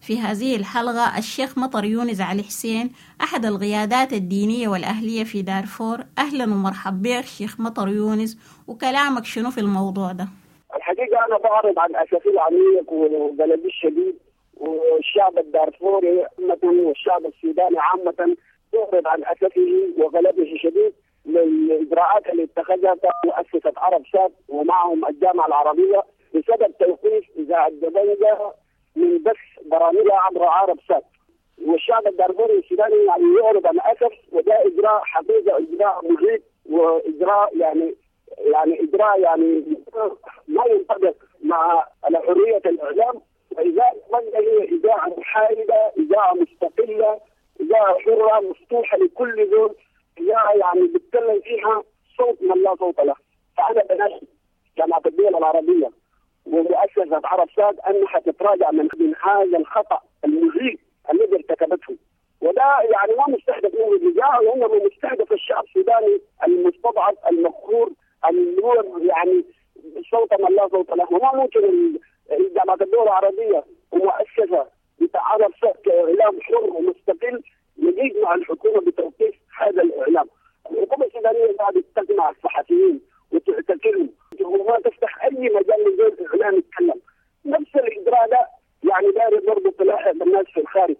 في هذه الحلقة الشيخ مطر يونس علي حسين، أحد القيادات الدينية والأهلية في دارفور. أهلا ومرحبا بك شيخ مطر يونس، وكلامك شنو في الموضوع ده؟ الحقيقة أنا بعرض عن أسفي العميق وبلدي الشديد، والشعب الدارفوري عامة والشعب السوداني عامة يعرض عن أسفه وغلبه الشديد للإجراءات اللي اتخذتها مؤسسة عرب سات ومعهم الجامعة العربية بسبب توقيف إذاعة دبنجا من بث برامجها عبر عرب سات. والشعب الدارفوري السوداني يعني يعرض عن أسف، وده إجراء حقيقة إجراء مهيب وإجراء يعني يعني إجراء يعني ما ينطبق مع حرية الإعلام. وإذاعة دبنجا هي إذاعة محايدة، إذاعة مستقلة، إذاعة حرة مفتوحة لكل زول، إذاعة يعني بيتكلم فيها صوت من لا صوت له. فأنا بناشد جامعة الدول العربية ومؤسسة عرب سات أنها تتراجع من من هذا الخطأ المهيب الذي ارتكبته، وده يعني ما مستهدف منه الإذاعة، وإنما مستهدف الشعب السوداني المستضعف المقهور اللي هو يعني صوت من لا صوت له. وما ممكن جامعة الدول العربية ومؤسسة بتاع عرب سات كإعلام حر ومستقل يجيب مع الحكومة بتوقيف هذا الإعلام. الحكومة السودانية قاعدة تجمع الصحفيين وتعتقلهم وما تفتح أي مجال لزول إعلام يتكلم. نفس الإجراء ده يعني داري برضه تلاحق الناس في الخارج.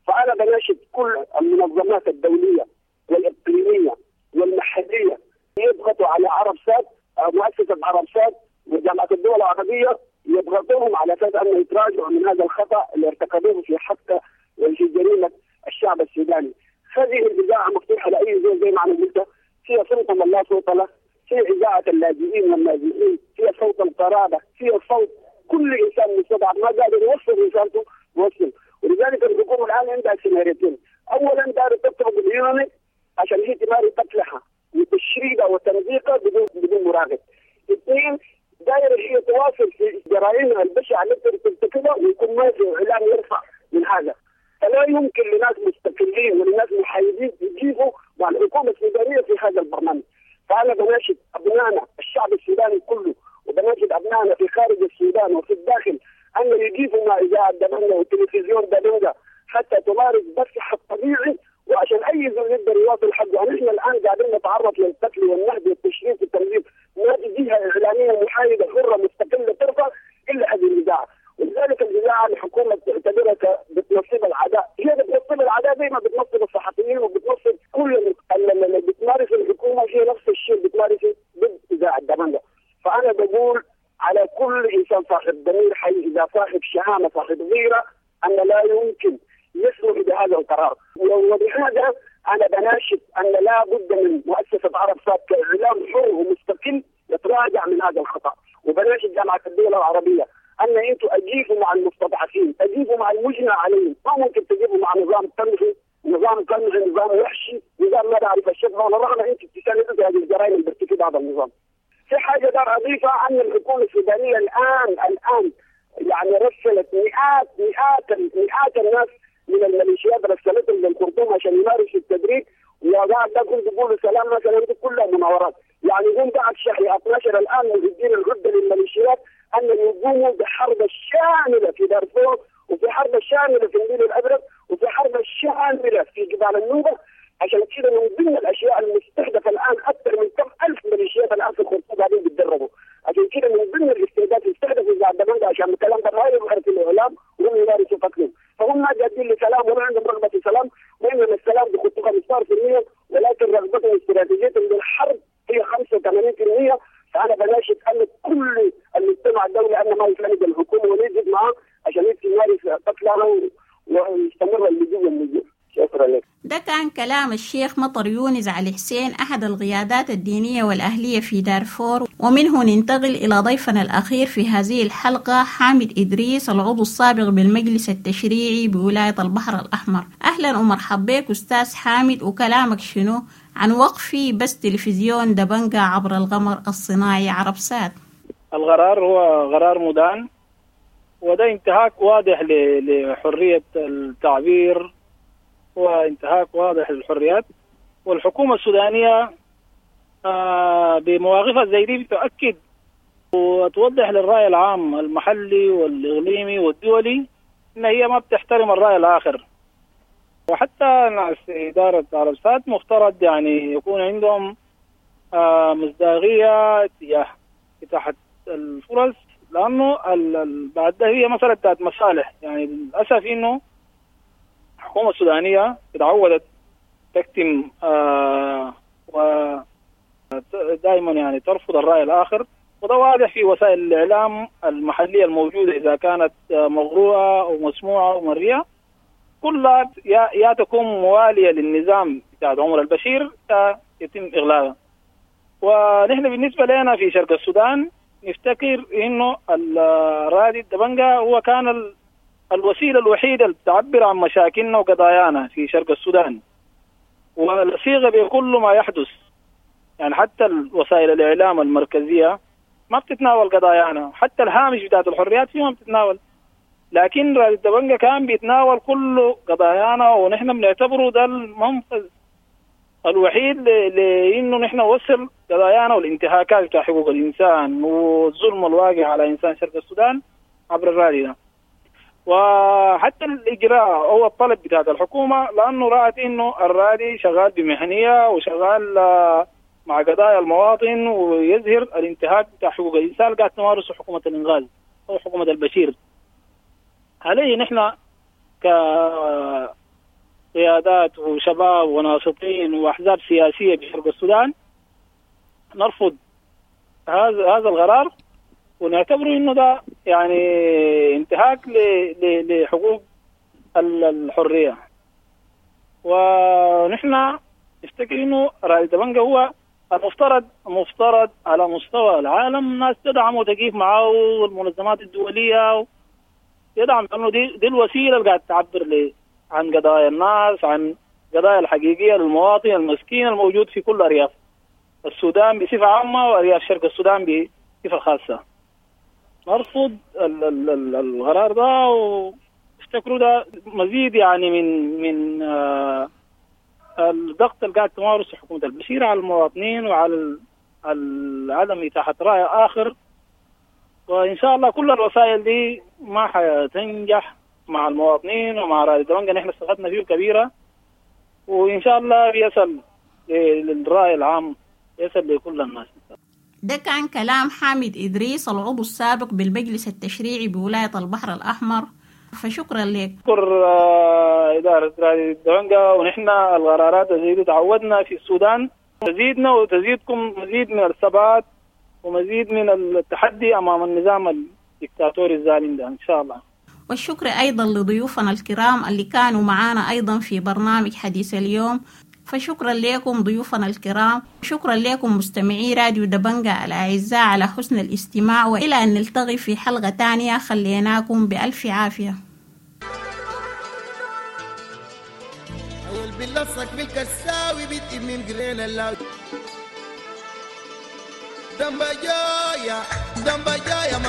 فأنا بناشد كل المنظمات الدولية والإقليمية والمحلية يضغطوا على عرب سات، مؤسسة عرب سات وجامعة الدول العربية، يضغطوهم على أساس أن يتراجعوا من هذا الخطأ اللي ارتكبوه في حق وفي جريمة الشعب السوداني. هذه الإذاعة مفتوحة لأي زول زي ما أنا قلت، فيها صوت من لا صوت له، فيها إذاعة اللاجئين والنازحين، فيها صوت القرابة، فيها صوت كل إنسان مستضعف ما قادر يوصل رسالته يوصل. ولذلك الحكومة الآن عندها سيناريوهين: أولا دار تطلب اليوناني عشان هي تمارس قتلها وتشريدها وتمزيقها بدون بدون مراقب. اثنين، دايرة هي تواصل في جرائمها البشعة التي ترتكبها ويكون ما في إعلام يرفع من هذا. فلا يمكن لناس مستقلين ولناس محايدين يجيبوا مع الحكومة السودانية في هذا البرنامج. فأنا بناشد أبنائنا الشعب السوداني كله، وبناشد أبنائنا في خارج السودان وفي الداخل أن يجيبوا مع إذاعة دبنجا وتلفزيون دبنجا حتى تمارس بثها الطبيعي، وعشان أي زول يقدر يواصل حقه. نحن الآن قاعدين نتعرض للقتل والنهب والتشريد والتمزيق، ما في جهة إعلامية محايدة حرة مستقلة ترفع إلا هذه الإذاعة. ولذلك الإذاعة الحكومة بتعتبرها بتنصب العداء، هي بتنصب العداء زي ما بتنصب الصحفيين وبتنصب كل اللي بتمارس الحكومة، هي نفس الشيء بتمارس ضد إذاعة دبنجا. فأنا بقول على كل إنسان صاحب ضمير حي، إذا صاحب شهامة صاحب غيرة، أن لا يمكن يسمح بهذا القرار. وبهذا أنا بناشد أن لا بد من مؤسسة عرب سات كإعلام حر ومستقل يتراجع من هذا الخطأ. وبناشد جامعة الدول العربية أن أنتم أجيبوا مع المستضعفين، أجيبوا مع المجنى عليهم، ما ممكن تجيبوا مع نظام تنفي، نظام قمعي، نظام وحشي، نظام ما بعرف الشفة، ولا رغم أنتم تساندوا هذه الجرائم اللي بيرتكبها هذا النظام. في حاجة دار أضيفها، أن الحكومة السودانية الآن الآن يعني رسلت مئات مئات مئات الناس من الميليشيات، رسلتهم للخرطوم عشان يمارسوا التدريب، وبعد ده كنت بيقولوا سلام مثلا، دي كلها مناورات. يعني هم بعد شهر اثنا عشر الآن مجدين العدة للميليشيات أن يقوموا بحرب الشارع الشاملة في دارفور، وفي حرب الشاملة في النيل الأزرق، وفي حرب الشاملة في جبال النوبة. عشان كده من ضمن الاشياء المستهدفة الان اكثر من كم الف ميليشيات الان في الخرطوم قاعدين بيتدربوا. عشان كده من ضمن الاستهداف يستهدفوا اذاعة دبنجا عشان الكلام ده ما يظهر في الاعلام وهم يمارسوا قتلهم. فهم ما جادين لسلام وما عندهم رغبة في سلام، وانما السلام بخطوة خمسة عشر بالمئة، ولكن رغبتهم واستراتيجيتهم للحرب هي خمسة وثمانين بالمئة. فانا بناشد ان كل المجتمع الدولي ان ما يساند الحكومة ويجد معاه عشان يمارس قتلها ويستمر اللجوء والنزوح. شكرا لك. ده كان كلام الشيخ مطر يونس علي حسين أحد القيادات الدينية والأهلية في دارفور. ومنه ننتقل إلى ضيفنا الأخير في هذه الحلقة حامد إدريس، العضو السابق بالمجلس التشريعي بولاية البحر الأحمر. أهلا ومرحبا بك أستاذ حامد، وكلامك شنو عن وقف بث تلفزيون دبنجا عبر القمر الصناعي عرب سات؟ القرار هو قرار مدان، وده انتهاك واضح لحرية التعبير وانتهاك واضح للحريات. والحكومة السودانية بمواقفها زي دي بتؤكد وتوضح للرأي العام المحلي والإقليمي والدولي إن هي ما بتحترم الرأي الآخر. وحتى ناس إدارة عرب سات مفترض يعني يكون عندهم مصداقية تجاه إتاحة الفرص، لأنه بعد ده هي مسألة بتاعت مصالح. يعني للأسف إنه الحكومة السودانية تعودت تكتم آه ودائما يعني ترفض الرأي الآخر، وده واضح في وسائل الإعلام المحلية الموجودة إذا كانت مغروءة أو مسموعة أو مرئية، كلها يا, يا تكون موالية للنظام بتاع عمر البشير يتم إغلاقها. ونحن بالنسبة لنا في شرق السودان نفتكر إنه الرادي الدبنجا هو كان ال الوسيلة الوحيدة اللي بتعبر عن مشاكلنا وقضايانا في شرق السودان، والصيغة بكل ما يحدث. يعني حتى وسائل الإعلام المركزية ما بتتناول قضايانا، حتى الهامش بتاعت الحريات فيها ما بتتناول، لكن راديو دبنجا كان بيتناول كل قضايانا، ونحن بنعتبره ده المنفذ الوحيد لأنه نحن نوصل قضايانا والانتهاكات بتاع حقوق الإنسان والظلم الواقع على إنسان شرق السودان عبر الراديو ده. وحتى الإجراء أو الطلب بتاع الحكومة، لأنه رأت إنه الرادي شغال بمهنية وشغال مع قضايا المواطن ويظهر الانتهاك بتاع حقوق الإنسان قاعد تمارسه حكومة الإنغاز أو حكومة البشير. عليه نحن كقيادات وشباب وناشطين وأحزاب سياسية بشرق السودان نرفض هذا هذا القرار، ونعتبره انه ده يعني انتهاك لحقوق الحرية. ونحن نفتكر انه راديو دبنجا هو المفترض مفترض على مستوى العالم الناس تدعم وتقيف معه، والمنظمات الدولية يدعم، لانه دي دي الوسيلة اللي قاعد تعبر عن قضايا الناس، عن قضايا الحقيقية للمواطن المسكين الموجود في كل ارياف السودان بصفة عامة وارياف شرق السودان بصفة خاصة. نرفض القرار ده، وافتكروا ده مزيد يعني من من آه الضغط اللي قاعد تمارسه حكومة البشير على المواطنين وعلى عدم إتاحة رأي آخر. وإن شاء الله كل الوسائل دي ما حتنجح مع المواطنين ومع راديو دبنجا، نحن استفدنا فيه كبيرة، وإن شاء الله بيصل للرأي العام، يصل لكل الناس. ده كان كلام حامد إدريس العضو السابق بالمجلس التشريعي بولاية البحر الأحمر، فشكرا لك. شكر إدارة راديو دبنجا، ونحن القرارات زي دي تعودنا في السودان، تزيدنا وتزيدكم مزيد من الثبات ومزيد من التحدي أمام النظام الدكتاتوري الظالم ده إن شاء الله. والشكر أيضا لضيوفنا الكرام اللي كانوا معانا أيضا في برنامج حديث اليوم، فشكرا لكم ضيوفنا الكرام، شكرا لكم مستمعي راديو دبنجا الأعزاء على حسن الاستماع، وإلى أن نلتقي في حلقة تانية خليناكم بألف عافية. Damba joya, damba joya,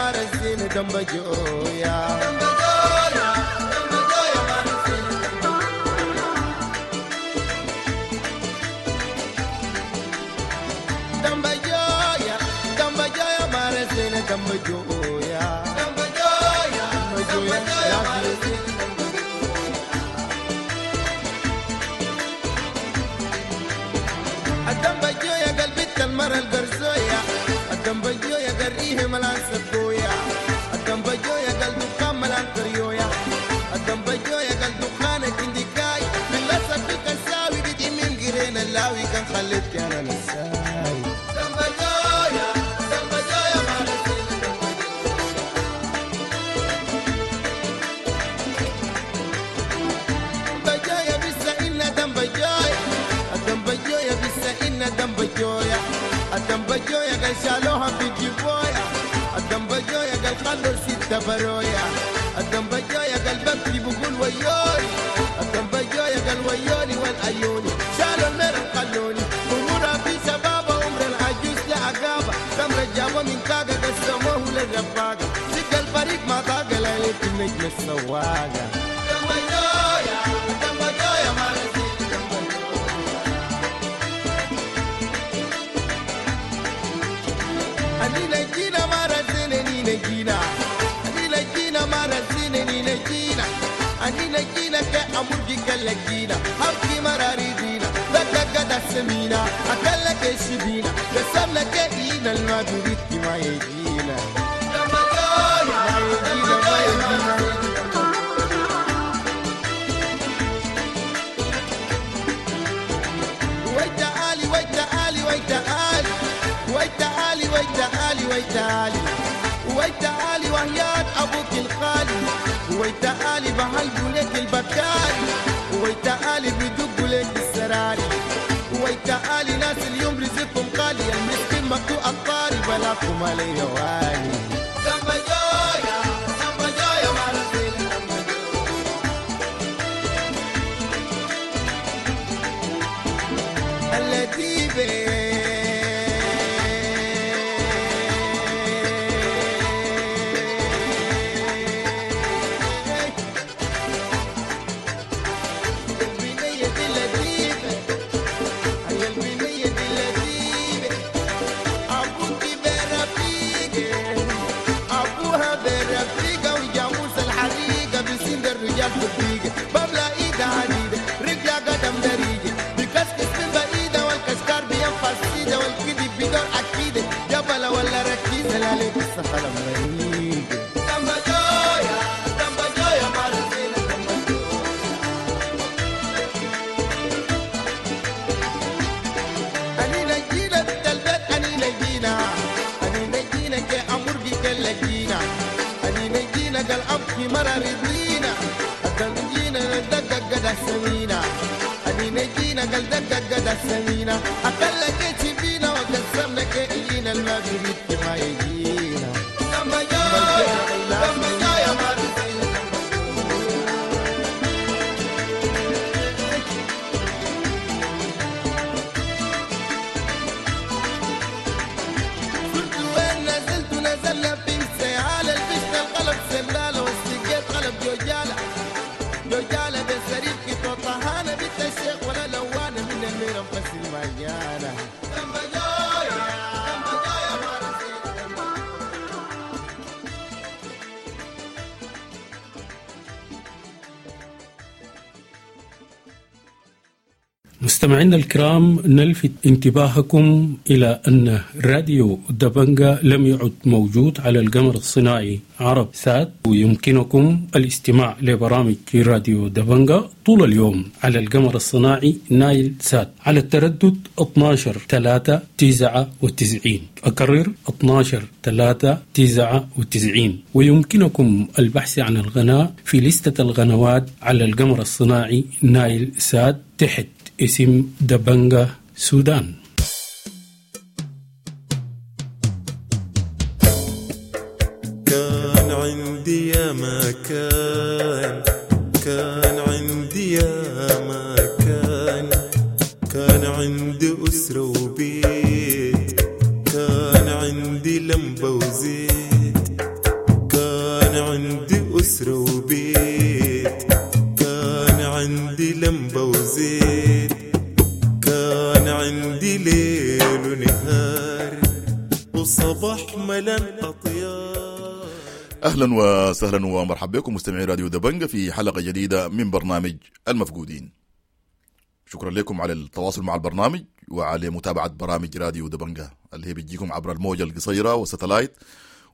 الدنبجوية قلبت المرة القرزوية، الدنبجوية قرية ملان سكوية، الدنبجوية قل دخان ملان كريوية، الدنبجوية قل دخان الكنديكاي باللصق في الكساوي بتمم قرين اللاوي كان خليتك انا نساي. دنبجوية دنبجوية ما رسينا دنبجوية بس إنا دنبجوية، الدنبجوية بس إنا دنبجوية، الدنبجوية قال شالوها في جيبويا، الدنبجوية قال خلوا ستة برويا، الدنبجوية قال ببكي بقول ويوني، الدنبجوية قال ويوني والعيوني شالوا المرة خلوني أمورها في شبابة عمر العجوز لعقابة تمر جابوا من كاكا قسموه للرفاقة سك الفريق ما طاق ليلة النجم السواقة. دنبجوية دنبجوية ما رسيت أنينا جينا ما رزينا نينا جينا، أنينا جينا ما رزينا نينا جينا، أنينا جينا كأمرجي كلجينا حبكي مراريدينا دقة قد سمينا أكلك الشبينا قسمنا كإينا الما بريد ما يجينا ما يجينا ما يجينا. ويتعالي ويتعالي ويتعالي ويتعالي ويتعالي ويتعالي ويتعالي وهيات أبوك الخالي، ويتعالي بهلبوا لك البكاري، ويتعالي بدقوا لك السراري، ويتعالي ناس اليوم رزقكم غالي المسكين مقطوع الطاري بلاكم علي والي. دنبجوية دنبجوية ما رزينا التي مستمعينا الكرام، نلفت انتباهكم إلى أن راديو دبنجا لم يعد موجود على القمر الصناعي عرب سات، ويمكنكم الاستماع لبرامج راديو دبنجا طول اليوم على القمر الصناعي نايل سات على التردد اثنا عشر ثلاثة تسعة وتسعين. أكرر اثنا عشر ثلاثة تسعة وتسعين. ويمكنكم البحث عن القناة في لستة القنوات على القمر الصناعي نايل سات تحت اسم دبنجا سودان. كان عندي يا ما كان، كان عندي يا ما كان، كان عندي أسرة وبيت، كان عندي لمبة وزيت، كان عندي أسرة وبيت، كان عندي لمبة وزيت، كان عندي ليل ونهار وصباح ملان أطيار. اهلا وسهلا ومرحبا بكم مستمعي راديو دبنجة في حلقة جديدة من برنامج المفقودين. شكرا لكم على التواصل مع البرنامج وعلى متابعه برامج راديو دبنجة اللي هي بتجيكم عبر الموجه القصيرة والستلايت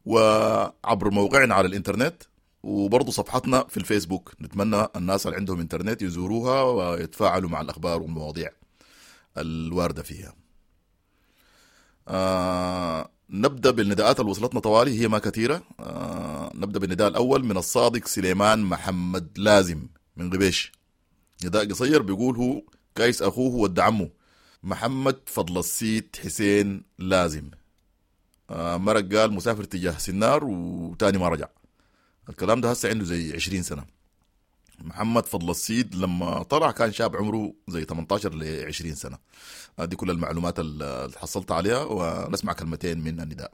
وعبر موقعنا على الانترنت وبرضه صفحتنا في الفيسبوك. نتمنى الناس اللي عندهم انترنت يزوروها ويتفاعلوا مع الاخبار والمواضيع الواردة فيها. آه نبدأ بالنداءات اللي وصلتنا طوالي، هي ما كثيرة. آه نبدأ بالنداء الأول من الصادق سليمان محمد لازم من غبيش. نداء قصير بيقول هو كايس أخوه ود عمه محمد فضل السيد حسين لازم. آه مرق قال مسافر تجاه سنار وتاني ما رجع. الكلام ده هسه عنده زي عشرين سنة. محمد فضل السيد لما طلع كان شاب عمره زي ثمانية عشر ل عشرين سنة. دي كل المعلومات اللي حصلت عليها، ونسمع كلمتين من النداء.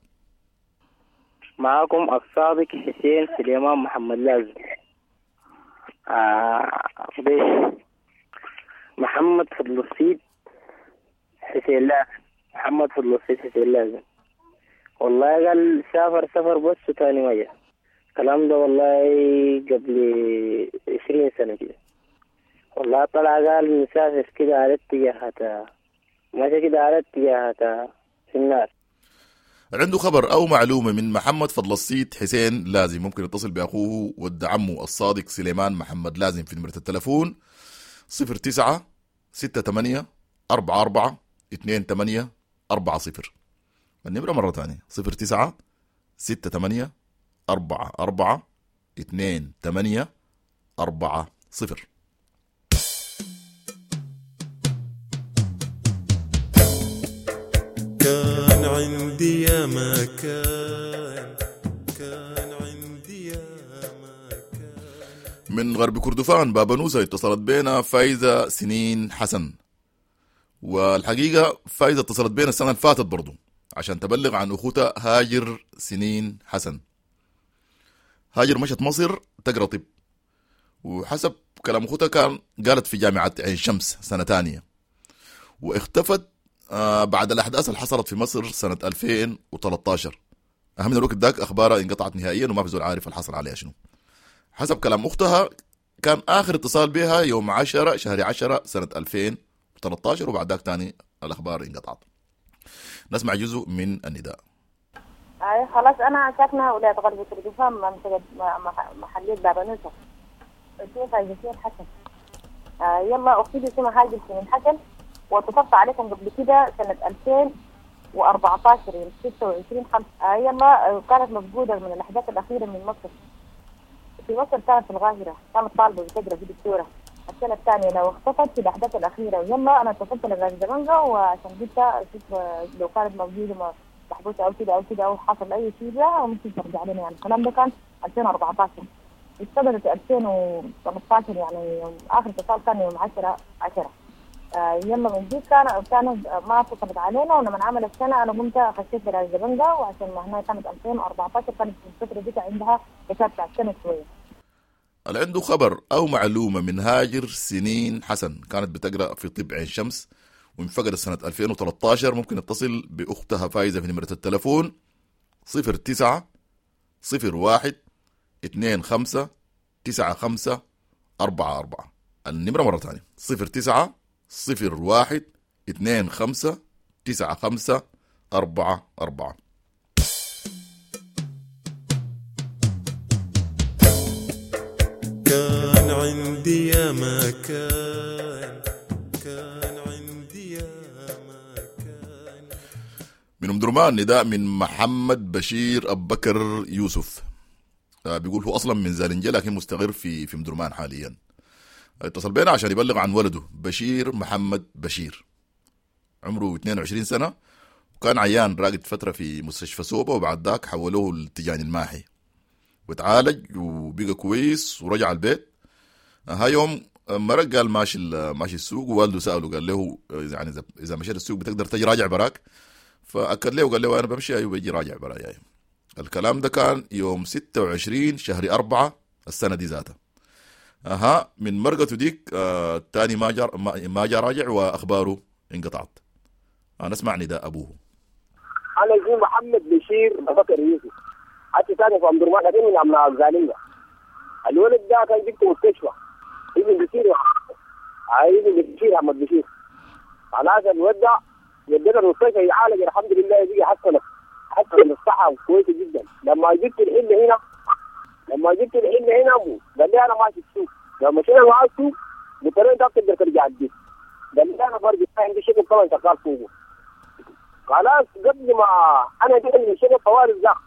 معاكم الصادق حسين سليمان محمد لازم. آه بيش محمد فضل السيد حسين لازم، محمد فضل السيد حسين لازم. والله قال سافر سفر بس وتاني ما جاء. الكلام ده والله قبل عشرين سنة كده. والله طلع قال مسافر كده على اتجاهات، ماشي كده على اتجاهات في النار. عنده خبر أو معلومة من محمد فضل السيد حسين لازم ممكن يتصل بأخوه ود عمه الصادق سليمان محمد لازم في نمرة التلفون صفر تسعة ستة ثمانية أربعة أربعة اثنين ثمانية أربعة صفر. النمرة مرة ثانية صفر تسعة ستة ثمانية أربعة أربعة اثنين ثمانية أربعة صفر. كان عندي يا ما كان، كان عندي يا ما كان. من غرب كردفان بابنوسة اتصلت بينا فايزة سنين حسن، والحقيقة فايزة اتصلت بينا السنة اللي فاتت برضو عشان تبلغ عن أخوتها هاجر سنين حسن. هاجر مشت مصر تقرأ طب، وحسب كلام أخوتها كان قالت في جامعة عين شمس سنة تانية، واختفت بعد الأحداث اللي حصلت في مصر سنة ألفين وثلاثة عشر. أهم من الوقت ذاك أخبارها انقطعت نهائيا وما في زول عارف اللي حصل عليها شنو. حسب كلام أختها كان آخر اتصال بها يوم عشرة شهر عشرة سنة ألفين وثلاثة عشر، وبعد ذاك تاني الأخبار انقطعت. نسمع جزء من النداء. اي خلاص انا ساكنة ولاية غرب كردفان منطقة محليه بابنوسه، اسمي فايزه حسن. آه يلا اختي اسمها هاجر سنين حسن، واتصلت عليكم قبل كده سنة ألفين وأربعة عشر يوم ستة وعشرين خمسة. آه يلا كانت مفقودة من الاحداث الاخيرة من مصر. في مصر كانت في القاهرة، كانت طالبه بتقرا في دكتورة السنة الثانية لو اختفت في الاحداث الاخيرة. ويلا انا اتصلت لغاز دبنجا وعشان قلت اشوف لو كانت موجودة محبوسة او كده او كده او حصل اي شيء لها وممكن ترجع لنا. يعني الكلام ده كان ألفين وأربعة عشر، اشتغلت ألفين وثمانية عشر، يعني اخر اتصال كان يوم عشرة عشرة. آه يلا من دي كان كان ما اتصلت علينا، ولما عمل السنة انا قمت خشيت لغاز دبنجا، وعشان ما هنا كانت ألفين وأربعة عشر كانت في الفترة دي عندها حساب بتاع السنة شوية. اللي عنده خبر او معلومة من هاجر سنين حسن كانت بتقرا في طب عين شمس وانفقدت سنة ألفين وثلاثة عشر، ممكن يتصل بأختها فايزة في نمرة التلفون صفر تسعة صفر واحد اثنين خمسة تسعة خمسة أربعة أربعة. النمرة مرة ثانية صفر تسعة صفر واحد اثنين خمسة تسعة خمسة أربعة أربعة. كان عندي يا ما كان، كان عندي يا ما كان. من أم درمان نداء من محمد بشير أبو بكر يوسف، بيقول هو أصلا من زالنجة لكن مستقر في في أم درمان حاليا. اتصل بينا عشان يبلغ عن ولده بشير محمد بشير، عمره اثنين وعشرين سنة، وكان عيان راقد فترة في مستشفى سوبا، وبعد ذاك حولوه للتجاني الماحي وتعالج وبقى كويس ورجع البيت. ها يوم مرق قال ماشي ماشي السوق، ووالده سأله قال له يعني اذا مشيت السوق بتقدر تجي راجع براك؟ فأكد له وقال له انا بمشي ايوه بيجي راجع براي. أيوة. الكلام ده كان يوم ستة وعشرين شهر أربعة السنة دي ذاتها. اها من مرقته ديك آه تاني ما جا ما جا راجع واخباره انقطعت. آه نسمع نداء ابوه. انا اسمي محمد بشير ابو بكر يوسف، حتى ساكن في أم درمان لكن من أبناء الزالية. الولد ده كان جبته مستشفى ابن بشير، ابن بشير أحمد بشير. خلاص الولد ده ودينا المستشفى يعالج الحمد لله، يجي حسن حسن الصحة كويسة جدا. لما جبت الحلة هنا لما جبت الحلة هنا أبو قال لي أنا ماشي السوق. لما مشينا معاه السوق قلت له أنت بتقدر ترجع البيت؟ قال لي أنا برجع، عندي شغل طبعا شغال فوقه. خلاص قبل ما أنا جيت من الشغل طوال الزخ،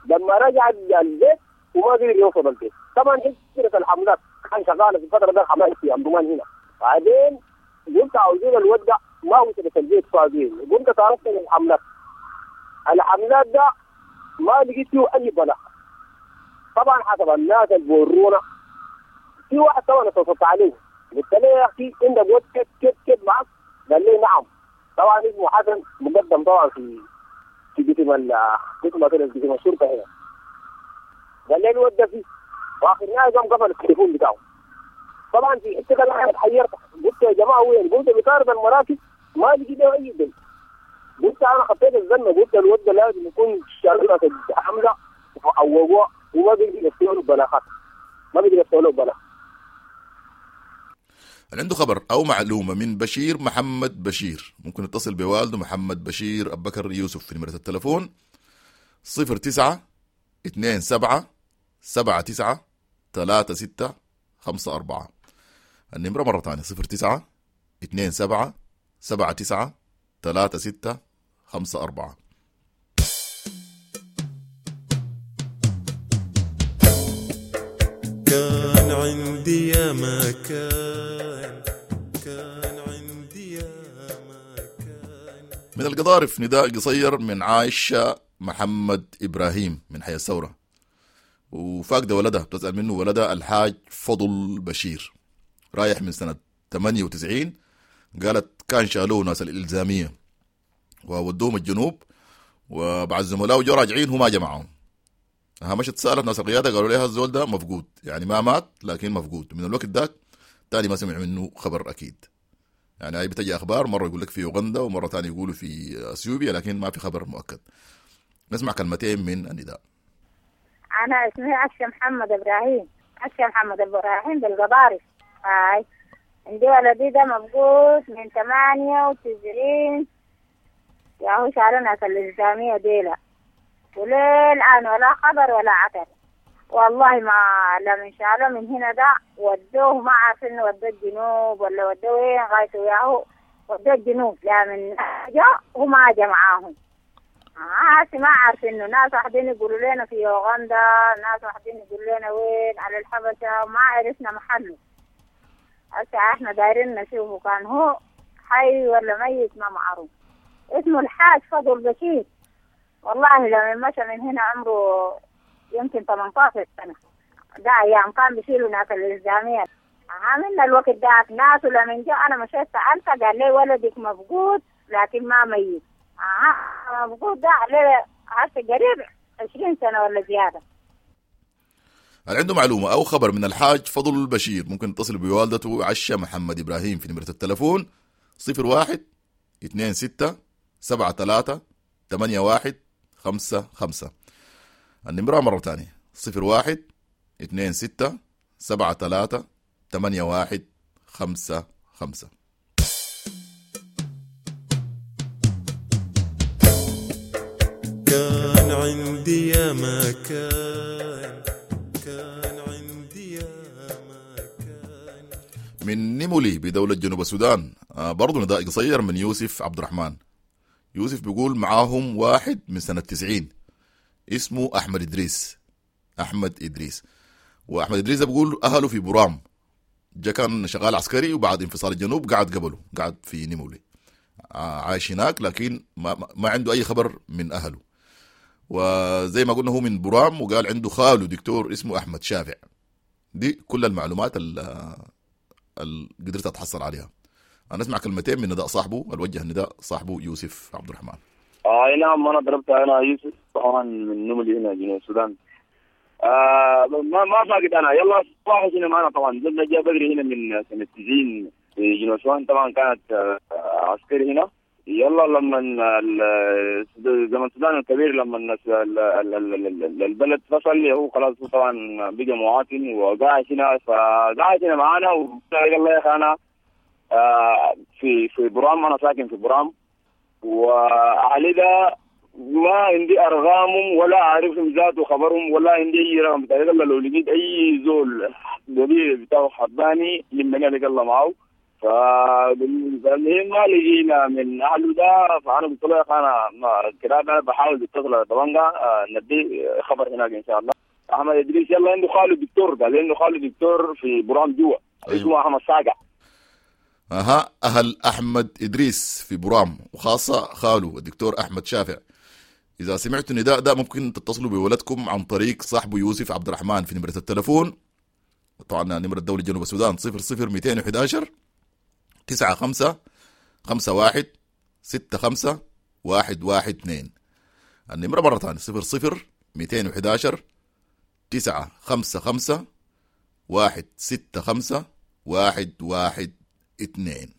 لما رجع البيت وما قدر يوصل البيت. طبعا فكرة الحملات كان شغالة في الفترة ده الحملات في أم هنا. بعدين قلت عاوزين الودع ما وصلت البيت فاضيين، قمت تعرفت من الحملات. الحملات ده ما لقيت فيه أي بلاء. طبعا حسب الناس اللي بورونا في واحد طبعا اتصلت عليه قلت له يا أخي عندك ود كيف كيف كيف معك؟ قال لي نعم. طبعا اسمه حسن مقدم طبعا في في قسم ال قسم قسم الشرطة هنا. قال لي الود ده فيه، واخر نهاية قام قفل التليفون بتاعه. طبعا في حتة انا اتحيرت، قلت يا جماعة وين؟ قلت بطارد المراكز ما لقيت له اي دليل. قلت انا خطيت الزنه، قلت الود ده لازم يكون شغله حمله او وما بيقدر يفتحوا له بلاغات، ما بيقدر يفتحوا له بلاغ. اللي عنده خبر او معلومة من بشير محمد بشير ممكن يتصل بوالده محمد بشير ابو بكر يوسف في نمره التلفون صفر تسعة اثنين سبعة سبعة تسعة ثلاثة ستة خمسة أربعة. النمرة مرة ثانية صفر تسعة اثنين سبعة سبعة تسعة ثلاثة ستة خمسة أربعة. كان عندي يا ما كان، كان عندي يا ما كان. من القضارف نداء قصير من عائشة محمد إبراهيم من حي الثورة، وفاقدة ولدها، بتسأل منه ولدها الحاج فضل بشير رايح من سنة ثمانية وتسعين. قالت كان شالوه ناس الإلزامية وودوهم الجنوب، وبعد زملائه جو راجعين هو ما جمعهم. مشت سألت ناس القيادة قالوا لها الزول ده مفقود، يعني ما مات لكن مفقود. من الوقت ذاك تاني ما سمع منه خبر أكيد. يعني هاي بتجي أخبار مرة يقول لك في أوغندا ومرة تاني يقولوا في أثيوبيا، لكن ما في خبر مؤكد. نسمع كلمتين من النداء. أنا اسمي عشة محمد إبراهيم، عشة محمد إبراهيم بالقضارف. هاي عندي ولدي ده مفقود من ثمانية وتسعين، يا هو شالنا في الإلزامية ديلا، وللآن ولا خبر ولا عتر. والله ما لمن شالوا من هنا ده ودوه ما عارفين ودوه الجنوب ولا ودوه وين، غايته ياهو ودوه الجنوب، لا من جا وما جا معاهم. آه ما عارفين إنه ناس واحدين يقولوا لنا في أوغندا، ناس واحدين يقولوا لنا وين على الحبشة، ما عرفنا محله. هسه احنا دايرين نشوفه كان هو حي ولا ميت ما معروف. اسمه الحاج فضل بشير. والله لما مشى من هنا عمره يمكن ثمانية عشر سنة، ده أيام كان بيشيلوا ناس الإلزامية. عاملنا الوقت ده ناس، ولما جاء أنا مشيت سألته قال لي ولدك مفقود لكن ما ميت. آه مفقود ده عليه هسه قريب عشرين سنة ولا زيادة. اللي عنده معلومة أو خبر من الحاج فضل البشير ممكن يتصل بوالدته عشة محمد إبراهيم في نمرة التلفون صفر واحد اثنين ستة سبعة ثلاثة ثمانية واحد خمسة خمسة. النمرة مرة تانية صفر واحد اثنين ستة سبعة ثلاثة ثمانية واحد خمسة خمسة. كان عندي يا ما كان، كان عندي يا ما كان. من نيمولي بدولة جنوب السودان برضو نداء قصير من يوسف عبد الرحمن. يوسف بيقول معاهم واحد من سنة تسعين اسمه أحمد إدريس، أحمد إدريس. وأحمد إدريس بيقول أهله في برام، جا كان شغال عسكري وبعد انفصال الجنوب قعد قبله، قعد في نيمولي عايش هناك، لكن ما, ما عنده أي خبر من أهله. وزي ما قلنا هو من برام، وقال عنده خاله دكتور اسمه أحمد شافع. دي كل المعلومات اللي قدرت أتحصل عليها. أنا أسمع كلمتين من نداء صاحبه، الوجه النداء صاحبه يوسف عبد الرحمن. آه نعم، أنا ضربت أنا يوسف طبعا من نملي هنا جنوب السودان. آه ما ما فاقد أنا، يلا صباح هنا معنا طبعا. زلنا جاء بدري هنا من سنة تسعين في جنوب السودان، طبعا كانت آه عسكري هنا. يلا لما زمن السودان الكبير لما البلد فصل هو خلاص طبعا بقى مواطن وقاعد هنا، فقاعد هنا معانا. وقال الله يا اخي انا في في برام، انا ساكن في برام، واهلي ده ما عندي ارقامهم ولا اعرفهم ذاته خبرهم ولا عندي اي رقم بتاعي. الله لو لقيت اي زول قبيل بتاعه حباني لمني عليك الله معه. فالمهم ما لقينا من اهله ده، فانا قلت له يا اخي انا كده انا بحاول اتصل على طبنجة ندي خبر هناك ان شاء الله. احمد ادريس يلا عنده خاله دكتور، قال عنده خاله دكتور في برام جوا. أيوه. اسمه احمد صاقع. اها، اهل احمد ادريس في برام وخاصه خاله الدكتور احمد شافع، اذا سمعتوا النداء ده ممكن تتصلوا بولدكم عن طريق صاحبه يوسف عبد الرحمن في نمره التلفون، طبعا نمره الدولة جنوب السودان صفر صفر مئتين وأحد عشر تسعة خمسة خمسة واحد ستة خمسة واحد واحد اثنين. النمرة مرة ثانية صفر صفر مئتين وأحد عشر تسعة خمسة خمسة واحد ستة خمسة واحد واحد اثنين.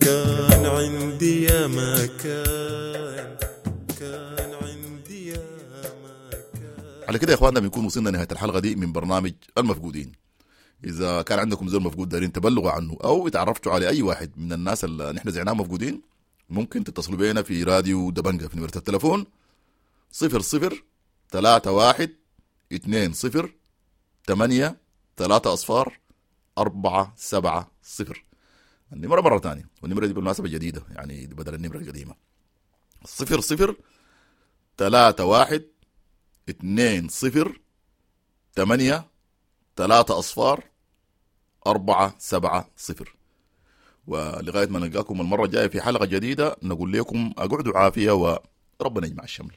كان عندي يا ما كان، كان عندي يا ما كان. على كده يا اخواننا بنكون وصلنا نهاية الحلقة دي من برنامج المفقودين. إذا كان عندكم زول مفقود دارين تبلغوا عنه أو اتعرفتوا على أي واحد من الناس اللي نحن زعناهم مفقودين، ممكن تتصلوا بينا في راديو دبنجة في نمرة التلفون صفر صفر ثلاثة واحد اثنين صفر ثمانية ثلاثة أصفار أربعة سبعة صفر. النمرة مرة تانية، والنمرة دي بالمناسبة جديدة يعني بدل النمرة القديمة، صفر صفر ثلاثة واحد اثنين صفر ثمانية ثلاثة أصفار أربعة سبعة صفر. ولغاية ما نلقاكم المرة الجاية في حلقة جديدة نقول لكم أقعدوا عافية وربنا يجمع الشمل.